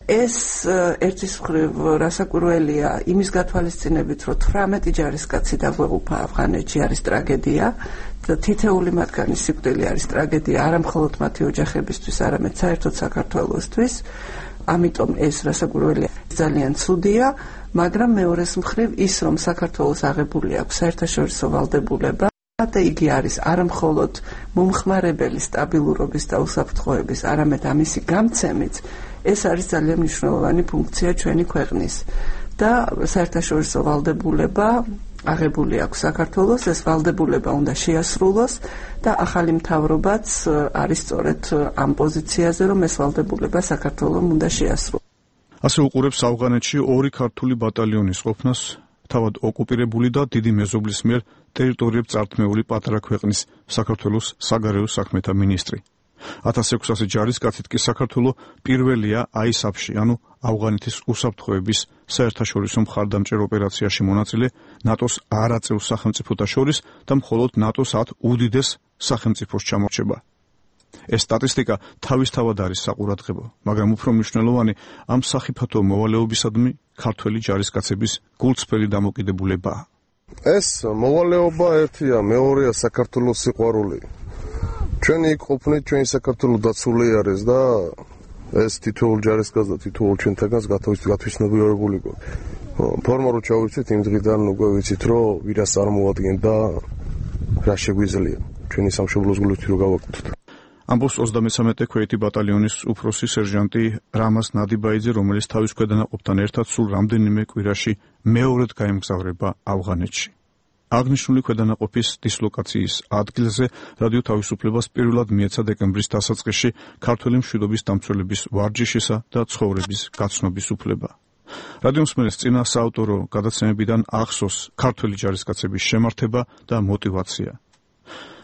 ეს ერთის მხრივ რასაკვირველია იმის გათვალისწინებით, რომ 18 ჯარისკაცი დაგვეღუპა ავღანეთში არის ტრაგედია და თითეული მათგანი სიკვდილი არის ტრაგედია არა მხოლოდ მათი ოჯახებისთვის, არამედ საერთოდ საქართველოსთვის. ამიტომ ეს რასაკვირველია ძალიან ცუდია, მაგრამ მეორეს მხრივ ის, რომ საქართველოს აღებული აქვს საერთაშორისო ვალდებულება და იგი არის არა მხოლოდ მომხმარებელი სტაბილურობის და უსაფრთხოების, არამედ ამისი გამცემიც, ეს არის ძალიან მნიშვნელოვანი ფუნქცია ჩვენი ქვეყნის და საერთაშორისო ვალდებულება აღებული აქვს საქართველოს, ეს ვალდებულება უნდა შეასრულოს და ახალი მთავრობაც არის სწორედ ამ პოზიციაზე, რომ ეს ვალდებულება საქართველოს უნდა შეასრულოს. ასე უყურებს ავღანეთში 2 ქართული ბატალიონის ყოფნას თავად ოკუპირებული და დიდი მეზობლის მიერ ტერიტორიებს წართმეული პატარა ქვეყნის საქართველოს საგარეო საქმეთა მინისტრი. 1600 ჯარისკაცით კი საქართველოს პირველია ISAF-ში, ანუ ავღანეთის უსაფრთხოების საერთაშორისო მხარდამჭერ ოპერაციაში მონაწილე ნატოს არაწევრ სახელმწიფოთა შორის და მხოლოდ ნატოს 10 უდიდეს სახელმწიფოს ჩამორჩება. ეს სტატისტიკა თავისთავად არის საყურადღებო, მაგრამ უფრო მნიშვნელოვანი ამ სახიფათო მოვალეობისადმი ქართველი ჯარისკაცების გულწრფელი დამოკიდებულებაა. ეს მოვალეობა ერთია, მეორეა საქართველოს სიყვარული. ჩვენი იქ ყოფნით, ჩვენი საქართველოს დაცული არის და ეს თითოეულ ჯარისკაცს და თითოეულ ჩვენთაგანს გათვითცნობიერებული გვაქვს. ფორმალურად ჩავიცით იმ დღიდან უკვე ვიცით, რომ ვირას წარმოადგენდა რა შეგვიძლია ჩვენი სამშობლოს გულით რო გავაკეთოთ. ამბობს 33 ქვეითი ბატალიონის უფროსი სერჟანტი რამაზ ნადიბაიძე, რომელიც თავის ქვედანაყოფთან ერთად სულ რამდენიმე კვირაში მეორედ გაემგზავრება ავღანეთში. აღნიშნული ქვედანაყოფის დისლოკაციის ადგილზე რადიო თავისუფლებას პირველად მიეცა დეკემბრის დასაწყისში ქართველი მშვიდობის დამცველების ვარჯიშისა და ცხოვრების გაცნობის უფლება. რადიომსმენელს წინა საავტორო გადაცემებიდან ახსოვს ქართველი ჯარისკაცების შემართება და мотиваცია.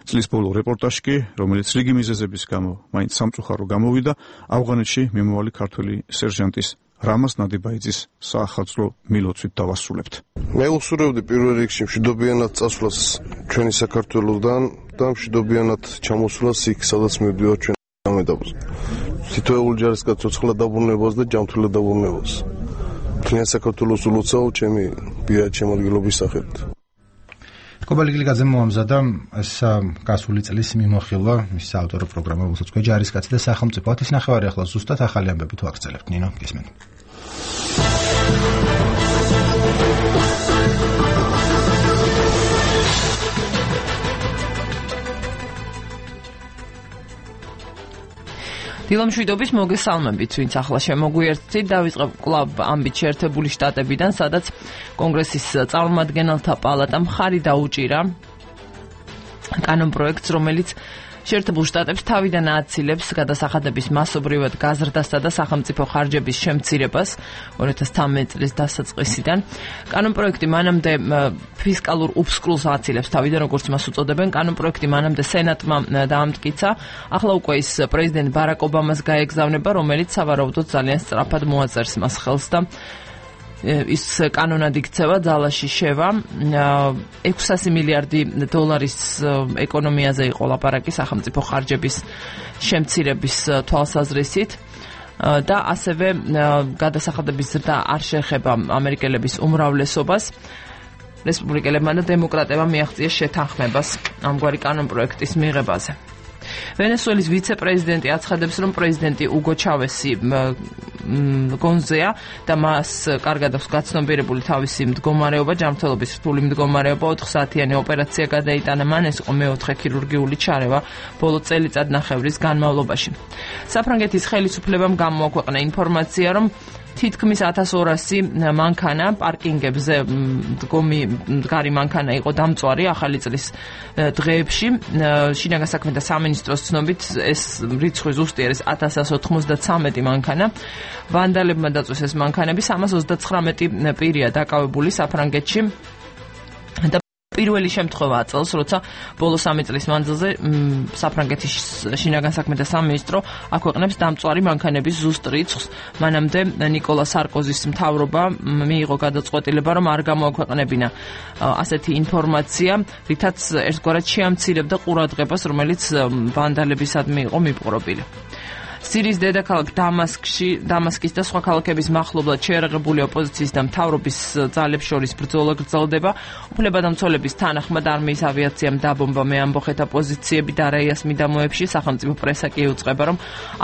წლის ბოლო რეპორტაჟი კი, რომელიც რიგი მიზეზების გამო მაინც სამწუხარო გამოვიდა, ავღანეთში მიმავალი ქართველი სერჟანტის რამაზ ნადიბაიძის საახალწლო მილოცვით დავასრულებთ. მე უსურვებდი პირველ რიგში მშვიდობიანად წასვლას ჩვენი საქართველოსდან და მშვიდობიანად ჩამოსვლას იქ, სადაც მივდივართ ჩვენ ამედაბოს. თითოეული ჯარისკაც ცოცხლად დაბრუნებას და ჯანმრთელად დაბრუნებას. თქვენ საქართველოს ულოცავ ჩემი პირადი შემოდგილობის სახელით. კობალიგლიძე მოამზადა ეს გასული წლის მიმოხილვა მის საავტორო პროგრამა, რომელსაც ქვია ჯარისკაცი და სახელმწიფო. ის ნახევარი ახლა ზუსტად ახალი ამბები თუ აგრძელებთ, ნინო, გისმენთ. დილამშვიდობის მოგესალმებით, ვინც ახლა შემოგვიერთდით, დავიწყებ კლუბ ამბით შეერთებული შტატებიდან, სადაც კონგრესის წარმომადგენელთა პალატამ ხარი დაუჭირა კანონპროექტს, რომელიც შეერთებულ შტატებს თავიდან ააცილებს გადასახადების მასობრივად გაზრდასა და სახელმწიფო ხარჯების შემცირებას 2013 წლის დასაწყისიდან. კანონპროექტი მანამდე ფისკალურ უფსკრულს ააცილებს თავიდან, როგორც მას უწოდებენ. კანონპროექტი მანამდე სენატმა დაამტკიცა. ახლა უკვე ის პრეზიდენტ ბარაკ ობამას გაეგზავნება, რომელიც სავარაუდოდ ძალიან სწრაფად მოაწერს მას ხელს და ის კანონად იქცევა, ძალაში შევა. 600 მილიარდი დოლარის ეკონომიაზე იყო ლაპარაკი სახელმწიფო ხარჯების შემცირების თვალსაზრისით და ასევე გადასახადების ზრდა არ შეეხება ამერიკელების უმრავლესობას. რესპუბლიკელებმა და დემოკრატებმა მიაღწიეს შეთანხმებას ამგვარი კანონპროექტის მიღებაზე. ვენესუელის ვიცე-პრეზიდენტი აცხადებს, რომ პრეზიდენტი უგო ჩავესი გონზეა და მას კარგად აქვს გაცნობიერებული თავისი მდგომარეობა, ჯანმრთელობის რთული მდგომარეობა, 4 საათიანი ოპერაცია გადაიტანა მან, ეს იყო მეოთხე ქირურგიული ჩარევა ბოლო წელიწადნახევრის განმავლობაში. საფრანგეთის ხელისუფლებამ გამოაქვეყნა ინფორმაცია, რომ თითქმის 1200 მანქანა პარკინგებზე მდგარი მანქანა იყო დამწვარი ახალი წლის დღეებში. შინაგან საქმეთა სამინისტროს ცნობით ეს რიცხვი ზუსტი არის 1193 მანქანა. ვანდალებმა დაწვეს ეს მანქანები, 329 პირია დაკავებული საფრანგეთში. პირველი შემთხვევაა წელს, როცა ბოლო 3 წლის მანძილზე საფრანგეთის შინაგან საქმეთა სამინისტრო აქვეყნებს დამწვარი მანქანების ზუსტ რიცხვს. მანამდე ნიკოლა სარკოზის მთავრობა მიიღო გადაწყვეტილება, რომ არ გამოაქვეყნებინა ასეთი ინფორმაცია, რითაც ერთგვარად შეამცირებდა ყურადღებას, რომელიც ვანდალებისადმი იყო მიპყრობილი. სირიის დედაქალაქ დამასკის და სხვა ქალაქების მახლობლად შეერაღებული ოპოზიციის და მთავრობის ძალებს შორის ბრძოლა გრძელდება. უფლებადამცველების თანახმად არმიის ავიაციამ დაბომბა მეამბოხეთა პოზიციები დარაიას მიდამოებში. სახელმწიფო პრესა კი უწყება, რომ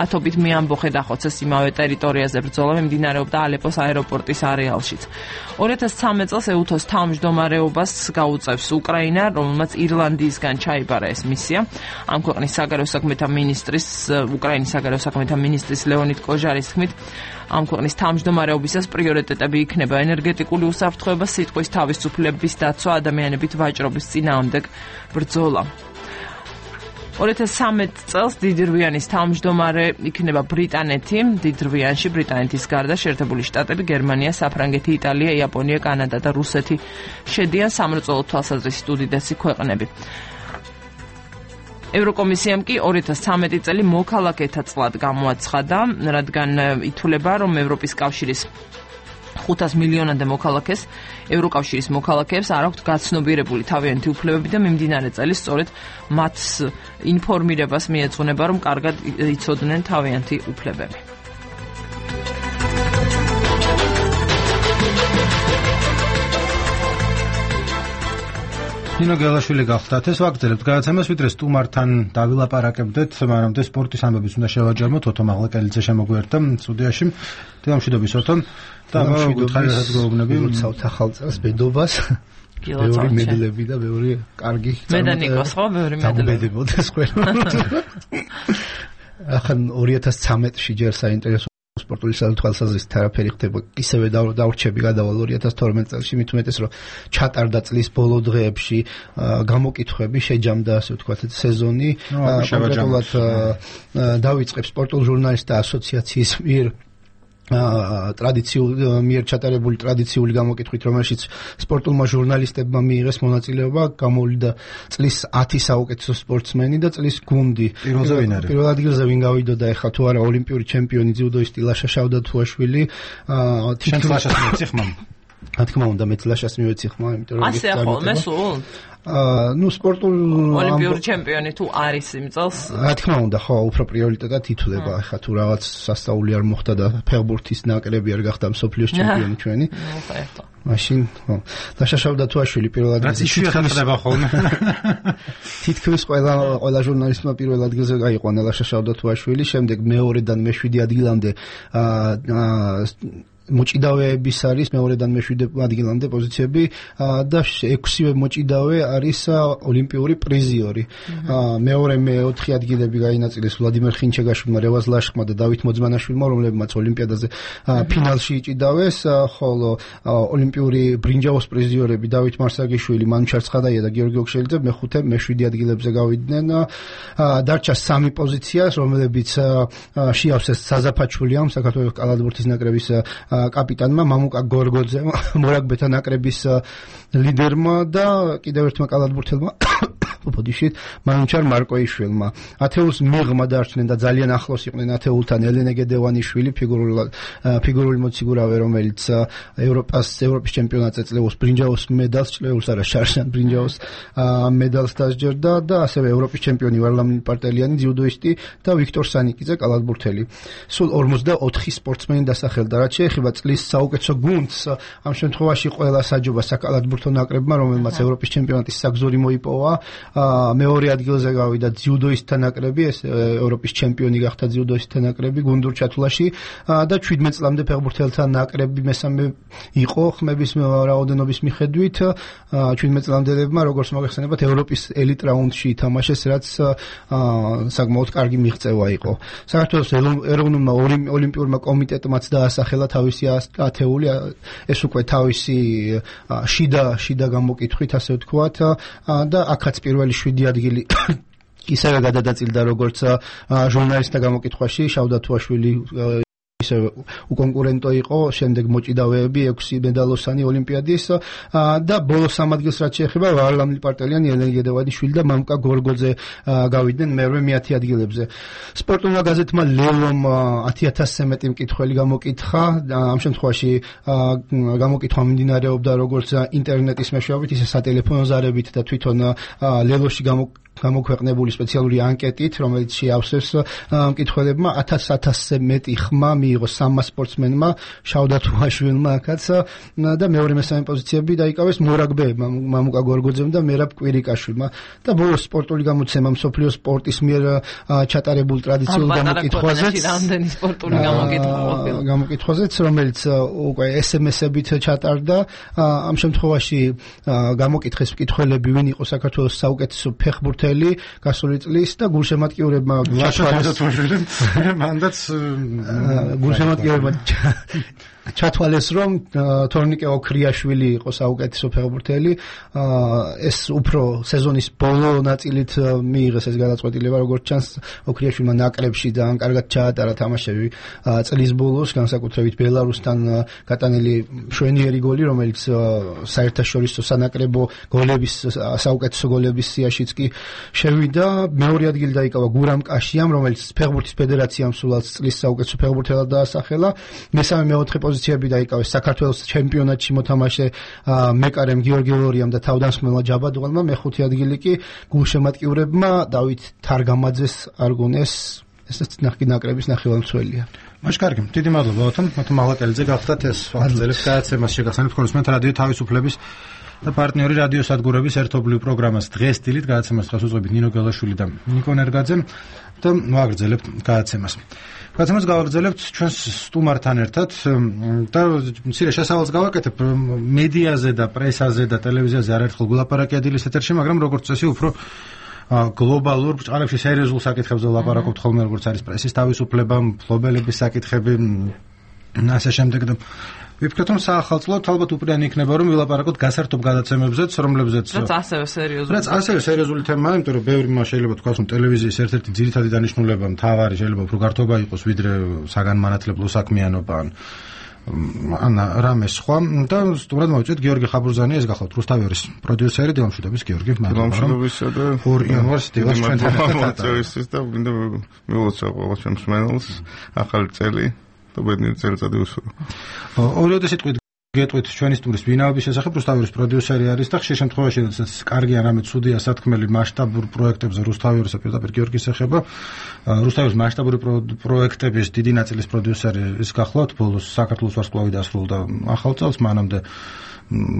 ათობით მეამბოხე დახოცეს იმავე ტერიტორიაზე. ბრძოლა მიმდინარეობდა ალეპოს აეროპორტის არეალშიც. 2013 წელს ეუთოს თავმჯდომარეობას გაუწევს უკრაინა, რომელმაც ირლანდიისგან ჩაიბარა ეს მისია. ამ ქვეყნის საგარეო საქმეთა მინისტრის უკრაინის საგარეო საქმეთა მინისტრის ლეონიდ კოჟარის თქმით, ამ ქვეყნის თავმჯდომარეობისას პრიორიტეტები იქნება ენერგეტიკული უსაფრთხოება, სიტყვის თავისუფლების დაცვა, ადამიანებით ვაჭრობის წინააღმდეგ ბრძოლა. 2013 წელს დიდრვიანის თავმჯდომარე იქნება ბრიტანეთი. დიდრვიანში ბრიტანეთის გარდა შეერთებული შტატები, გერმანია, საფრანგეთი, იტალია, იაპონია, კანადა და რუსეთი შედიან სამრეწველო თვალსაზრისით უდიდესი ქვეყნები. ევროკომისიამ კი 2013 წელი მოქალაქეთა წლად გამოაცხადა, რადგან ითვლება, რომ ევროპის კავშირის 500 მილიონამდე მოქალაქეს, ევროკავშირის მოქალაქეებს არ აქვთ გაცნობიერებული თავიანთი უფლებები და მიმდინარე წელი სწორედ მათ ინფორმირებას მიეძღვნება, რომ კარგად იცოდნენ თავიანთი უფლებები. ნინო გელაშვილი გახლდათ, ეს ვაგრძელებთ გადაცემას, ვიდრე სტუმართან დავილაპარაკებდეთ, მანამდე სპორტის ამბებიც უნდა შევაჯამოთ. ოთო მაღლაკელიძე შემოგვიერთდა სტუდიაში. დილამშვიდობის ოთო. და მოგხარეთ გეუბნები, მოცავთ ახალ წელს ბედობას. მეორე მედლები და მეორე კარგი. მე და ნიკოს ხო მეორე მედლები. დამბედებოდეს ყველა. ახან 2013-ში ჯერ საინტერესო სპორტული თვალსაზრისით არაფერი ხდება. ისევე დავრჩები გადავალ 2012 წელს, მით უმეტეს რომ ჩატარდა წლის ბოლო დღეებში გამოკითხვები, შეჯამდა ასე ვთქვათ სეზონი. კონკრეტულად დავიწყებ სპორტულ ჟურნალისტთა ასოციაციის მიერ მიერ ჩატარებული ტრადიციული გამოკითხვით, რომელშიც სპორტულმა ჟურნალისტებმა მიიღეს მონაწილეობა, გამოვლინდა წლის 10 საუკეთესო სპორტსმენი და წლის გუნდი. პირველ ადგილზე ვინ გავიდოდა ახლა თუ არა ოლიმპიური ჩემპიონი ძიუდოისტი ლაშა შავდათუაშვილი. შენ ლაშას მივეცი ხმა? რა თქმა უნდა, მეც ლაშას მივეცი ხმა, იმიტომ რომ ასე ახლა სულ სპორტულ ოლიმპიური ჩემპიონი თუ არის იმ წელს? რა თქმა უნდა, ხო, უფრო პრიორიტეტად ითვლება. ახლა თუ რაღაც სასწაული არ მოხდა და ფეხბურთის ნაკრები არ გახდა მსოფლიოს ჩემპიონი ჩვენი. მაშინ, ხო. ლაშა შავდათუაშვილი პირველ ადგილზე. ხდება ხოლმე. თითქმის ყველა ჟურნალისტმა პირველ ადგილზე გაიყვანა ლაშა შავდათუაშვილი, შემდეგ მეორედან მე-7 ადგილამდე მოჭიდავეების არის მეორედან მე-7 ადგილამდე პოზიციები და 6-ვე მოჭიდავე არის ოლიმპიური პრიზიორი. მეორე მე-4 ადგილები გაინაწილეს ვლადიმერ ხინჩეგაშვილმა, რევაზ ლაშხმა და დავით მოძმანაშვილმა, რომლებმაც ოლიმპიადაზე ფინალში იჭიდავეს, ხოლო ოლიმპიური ბრინჯაოს პრიზიორები დავით მარსაგიშვილი, მანუჩარ ცხადაია და გიორგი ოქშელიძე მე-5, მე-7 ადგილებზე გავიდნენ. დარჩა 3 პოზიცია, რომლებიც შეავსეს საზაფაჩულიამ, საქართველოს კალათბურთის ნაკრების კაპიტანმა მამუკა გორგოძემ, მორაგბეთა ნაკრების ლიდერმა და კიდევ ერთმა კალათბურთელმა ბოდიშით მანუჩარ მარკოიშვილმა. ათეულს მიღმა დარჩნენ და ძალიან ახლოს იყვნენ ათეულთან ელენე გედევანიშვილი, ფიგურული მოციგურავე, რომელიც ევროპის ჩემპიონატზე წლეულს ბრინჯაოს მედალს, წლეულს არა შარშან ბრინჯაოს მედალს დასჯერდა და ასევე ევროპის ჩემპიონი ვარლამი პარტელიანი ძიუდოისტი და ვიქტორ სანიკიძე კალათბურთელი. სულ 44 სპორტსმენი დასახელდა. რაც შეეხება წლის საუკეთესო გუნდს, ამ შემთხვევაში ყველა საჯობა საკალათბურთო ნაკრებმა, რომელმაც ევროპის ჩემპიონატის საგზური მოიპოვა, მეორე ადგილზე გავიდა ძიუდოისტთა ნაკრები, ეს ევროპის ჩემპიონი გახდა ძიუდოისტთა ნაკრები გუნდურ ჩათვლაში და 17 წლამდე ფეხბურთელთა ნაკრები მესამე იყო ხმების რაოდენობის მიხედვით. 17 წლამდელებმა, როგორც მოგეხსენებათ, ევროპის ელიტ რაუნდში ითამაშეს, რაც საკმაოდ კარგი მიღწევა იყო. საქართველოს ეროვნულმა ოლიმპიურმა კომიტეტმაც დაასახელა თავისი ათეული, ეს უკვე თავისი შიდა გამოკითხვით, ასე ვთქვათ, და აქაც პირველი 7 ადგილი ისევე გადადაწილდა როგორც ჟურნალისტთა გამოკითხვაში, შავდათუაშვილი ისე უკონკურენტო იყო, შემდეგ მოჭიდავეები 6 მედალოსანი ოლიმპიადის და ბოლოს 3 ადგილს რაც შეეხება ვარლამი პარტელიანი, ელენე გედევანიშვილი და მამუკა გორგოძე გავიდნენ მე-10 ადგილებზე. სპორტულმა გაზეთმა ლელომ 10000-ზე მეტი მკითხველი გამოკითხა. ამ შემთხვევაში გამოკითხვა მიმდინარეობდა როგორც ინტერნეტის მეშვეობით, ისე სატელეფონო ზარებით და თვითონ ლელოში გამოქვეყნებული სპეციალური ანკეტით, რომელიც შეავსეს მკითხველებმა 1000-ზე მეტი ხმა მიიღო 3 სპორტსმენმა, შავდათუაშვილმა აქაც და მეორე მესამე პოზიციები დაიკავეს მორაგბეებმა, მამუკა გორგოძემ და მერაბ კვირიკაშვილმა და ბოლოს სპორტული გამოცემა მსოფლიო სპორტის მიერ ჩატარებულ ტრადიციულ გამოკითხვაზეც, რომელიც უკვე SMS-ებით ჩატარდა. ამ შემთხვევაში გამოკითხეს მკითხველები, ვინ იყო საქართველოს საუკეთესო ფეხბურთელი გასული წლის და გულშემატკივრებმა მანდაც გულშემატკივრებმა ჩათვალეს, რომ თორნიკე ოქრიაშვილი იყო საუკეთესო ფეხბურთელი. ეს უფრო სეზონის ბოლო ნაწილით მიიღეს ეს გადაწყვეტილება, როგორც ჩანს, ოქრიაშვილმა ნაკრებში ძალიან კარგად ჩაატარა თამაშები წლის ბოლოს, განსაკუთრებით ბელარუსთან გატანილი მშვენიერი გოლი, რომელიც საერთაშორისო სანაკრებო გოლების საუკეთესო გოლების სიაშიც კი შევიდა. მეორე ადგილი დაიკავა გურამ კაშიამ, რომელიც ფეხბურთის ფედერაციამ სულაც წლის საუკეთესო ფეხბურთელად დაასახელა. მესამე მეოთხე პოზიციები დაიკავეს საქართველოს ჩემპიონატში მოთამაშე მეკარემ გიორგი ლორიამ და თავდამსხმელმა ჯაბადღალმა. მეხუთე ადგილი კი გულშემატკივრებმა დავით თარგამაძეს არგონეს, ესეც ნაკრების ნახევარმცველია. მაშ კარგი, დიდი მადლობა ოთონ, მაღლატელიძე გახდათ ეს აღწერის გადაცემას შეგახსენებთ ქონსმენთ რადიო თავისუფლების და პარტნიორი რადიო სადგურების ერთობლივ პროგრამას დღეს დილით გადაცემას ხელს უწყობთ ნინო გელაშვილი და ნიკო ნერგაძე და მოაგრძელებთ გადაცემას. გადაცემას გავაგრძელებთ ჩვენს სტუმართან ერთად და მცირე შესავალს გავაკეთებ მედიაზე და პრესაზე და ტელევიზიაზე არაერთხელ გულაპარაკია დილის ეთერში, მაგრამ როგორც წესი უფრო გლობალურ ბჭყალებში სერიოზულ საკითხებზე ლაპარაკობთ ხოლმე, როგორც არის პრესის თავისუფლება, მფლობელების საკითხები, ასე შემდეგ და ვიფიქრეთ, რომ საახალწლოდ ალბათ უპირიანი იქნება, რომ ვილაპარაკოთ გასართობ გადაცემებზეც, რომლებზეც რაც ასევე სერიოზული თემაა, იმიტომ რომ ბევრი მას შეიძლება თქვას, რომ ტელევიზიის ერთ-ერთი ძირითადი დანიშნულება მთავარი შეიძლება უფრო გართობა იყოს, ვიდრე საგანმანათლებლო საქმიანობა ან რამე სხვა და სტუმრად მოვიწვიეთ გიორგი ხაბურზანი, ეს გახლავთ რუსთავერის პროდიუსერი, დილამშვიდობის გიორგი, დილამშვიდობისა და 2 იანვარს დილას ჩვენთან მოწვევისთვის და მინდა მივულოცო ყველა ჩემს მენელს ახალი წელი და ბედნიერი წელიწადი უსურო. ორივე სიტყვით გეტყვით ჩვენი სტუმრის ვინაობის შესახებ, რუსთავერის პროდიუსერი არის და ხშირ შემთხვევაში როდესაც კარგი არამედ ცუდია სათქმელი მასშტაბურ პროექტებზე რუსთავერისა პირდაპირ გიორგის ეხება, რუსთავერის მასშტაბური პროექტების დიდი ნაწილის პროდიუსერი ის გახლავთ, ბოლოს საქართველოს ვარსკვლავი დასრულდა ახალ წელს, მანამდე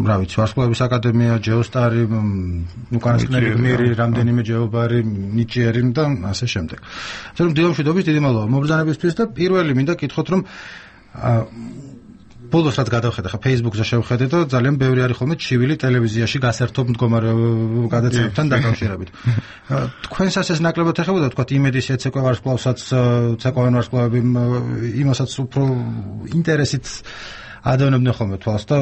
რა ვიცი, ვარსკვლავების აკადემია, ჯეოსტარი, უკანასკნელი გმირი, რამდენიმე ჯეობარი, ნიჭიერი და ასე შემდეგ. ასე რომ დილამშვიდობის დიდი მადლობა მობრძანებისთვის და პირველი მინდა კითხოთ, რომ ბოლოს რაც გადავხედე, ხა Facebook-ზე შევხედე და ძალიან ბევრი არის ხოლმე ჩივილი ტელევიზიაში გასართობ მდგომარე გადაცემებთან დაკავშირებით. თქვენსაც ეს ნაკლებად ეხებოდა, თქვა იმედის ეცეკვა ვარსკვლავსაც, ცეკვავენ ვარსკვლავები იმასაც უფრო ინტერესით ადევნებდნენ ხოლმე თვალს და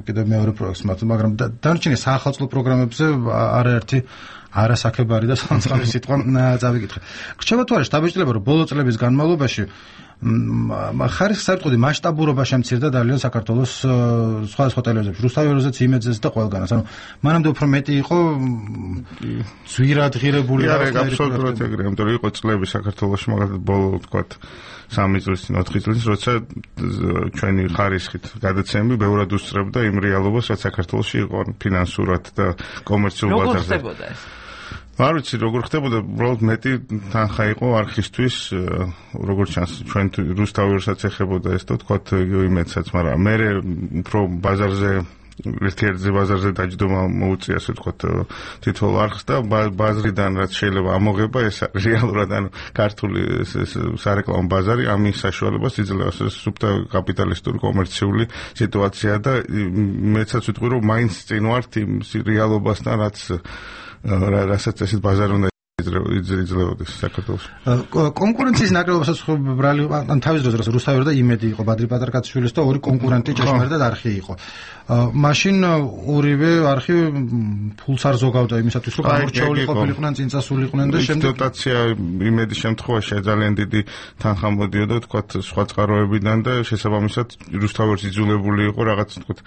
კიდევ მეორე პროექტს მათ, მაგრამ დანარჩენი საახალწლო პროგრამებზე არაერთი არასაქებარი და სამწყარის სიტყვა წავიკითხე. გრჩება თუ არა შტაბეჭდილება, რომ ბოლო წლების განმავლობაში ხარისხსაერთყუდი მასშტაბურობა შემცირდა ძალიან საქართველოს სხვადასხვა ტელევიზიებში, რუსთავერზეც, იმედზეც და ყველგანაც. ანუ მანამდე უფრო მეტი იყო ძვირადღირებული და აბსოლუტურად ეგრეა, იმიტომ რომ იყო წლები საქართველოში, მაგალითად ბოლო ვთქვათ 3 წლის წინ, 4 წლის, როცა ჩვენი ხარისხით გადაცემები ბევრად უსწრებდა იმ რეალობას, რაც საქართველოში იყო ფინანსურად და კომერციულ ბაზარზე. როგორ ხდებოდა ეს? არ ვიცი როგორ ხდებოდა, უბრალოდ მეტი თანხა იყო არქივისთვის, როგორც ჩანს, ჩვენ რუსთავერსაც ეხებოდა ეს და თქვათ იმედსაც, მაგრამ მე უფრო ბაზარზე ერთ-ერთი ბაზარზე დაჯდომა მოუწია, ასე ვთქვათ, თითოეულ არხს და ბაზრიდან რაც შეიძლება ამოღება, ეს რეალურად ანუ ქართული სარეკლამო ბაზარი ამის საშუალებას იძლევა, სუფთა კაპიტალისტური კომერციული სიტუაცია და მეცაც ვიტყვი, რომ მაინც წინ ვართ იმ რეალობასთან, რასაც ესეთ ბაზარი უნდა იძლეოდეს საქართველოში. კონკურენციის ნაკლებობასაც ბრალი ან თავის დროზე რუსთავერი და იმედი იყო, ბადრი პატარკაციშვილის და ორი კონკურენტი ჭეშმარიტად არხი იყო. მაშინ ორივე არხი ფულს არ ზოგავდა იმისათვის, რომ გამორჩეული ყოფილიყვნენ, წინწასულიყვნენ და შემდეგ დოტაცია იმედის შემთხვევაში ძალიან დიდი თანხა მოდიოდა, თქვათ, სხვა წყაროებიდან და შესაბამისად რუსთავერს იძულებული იყო რაღაც, თქვათ,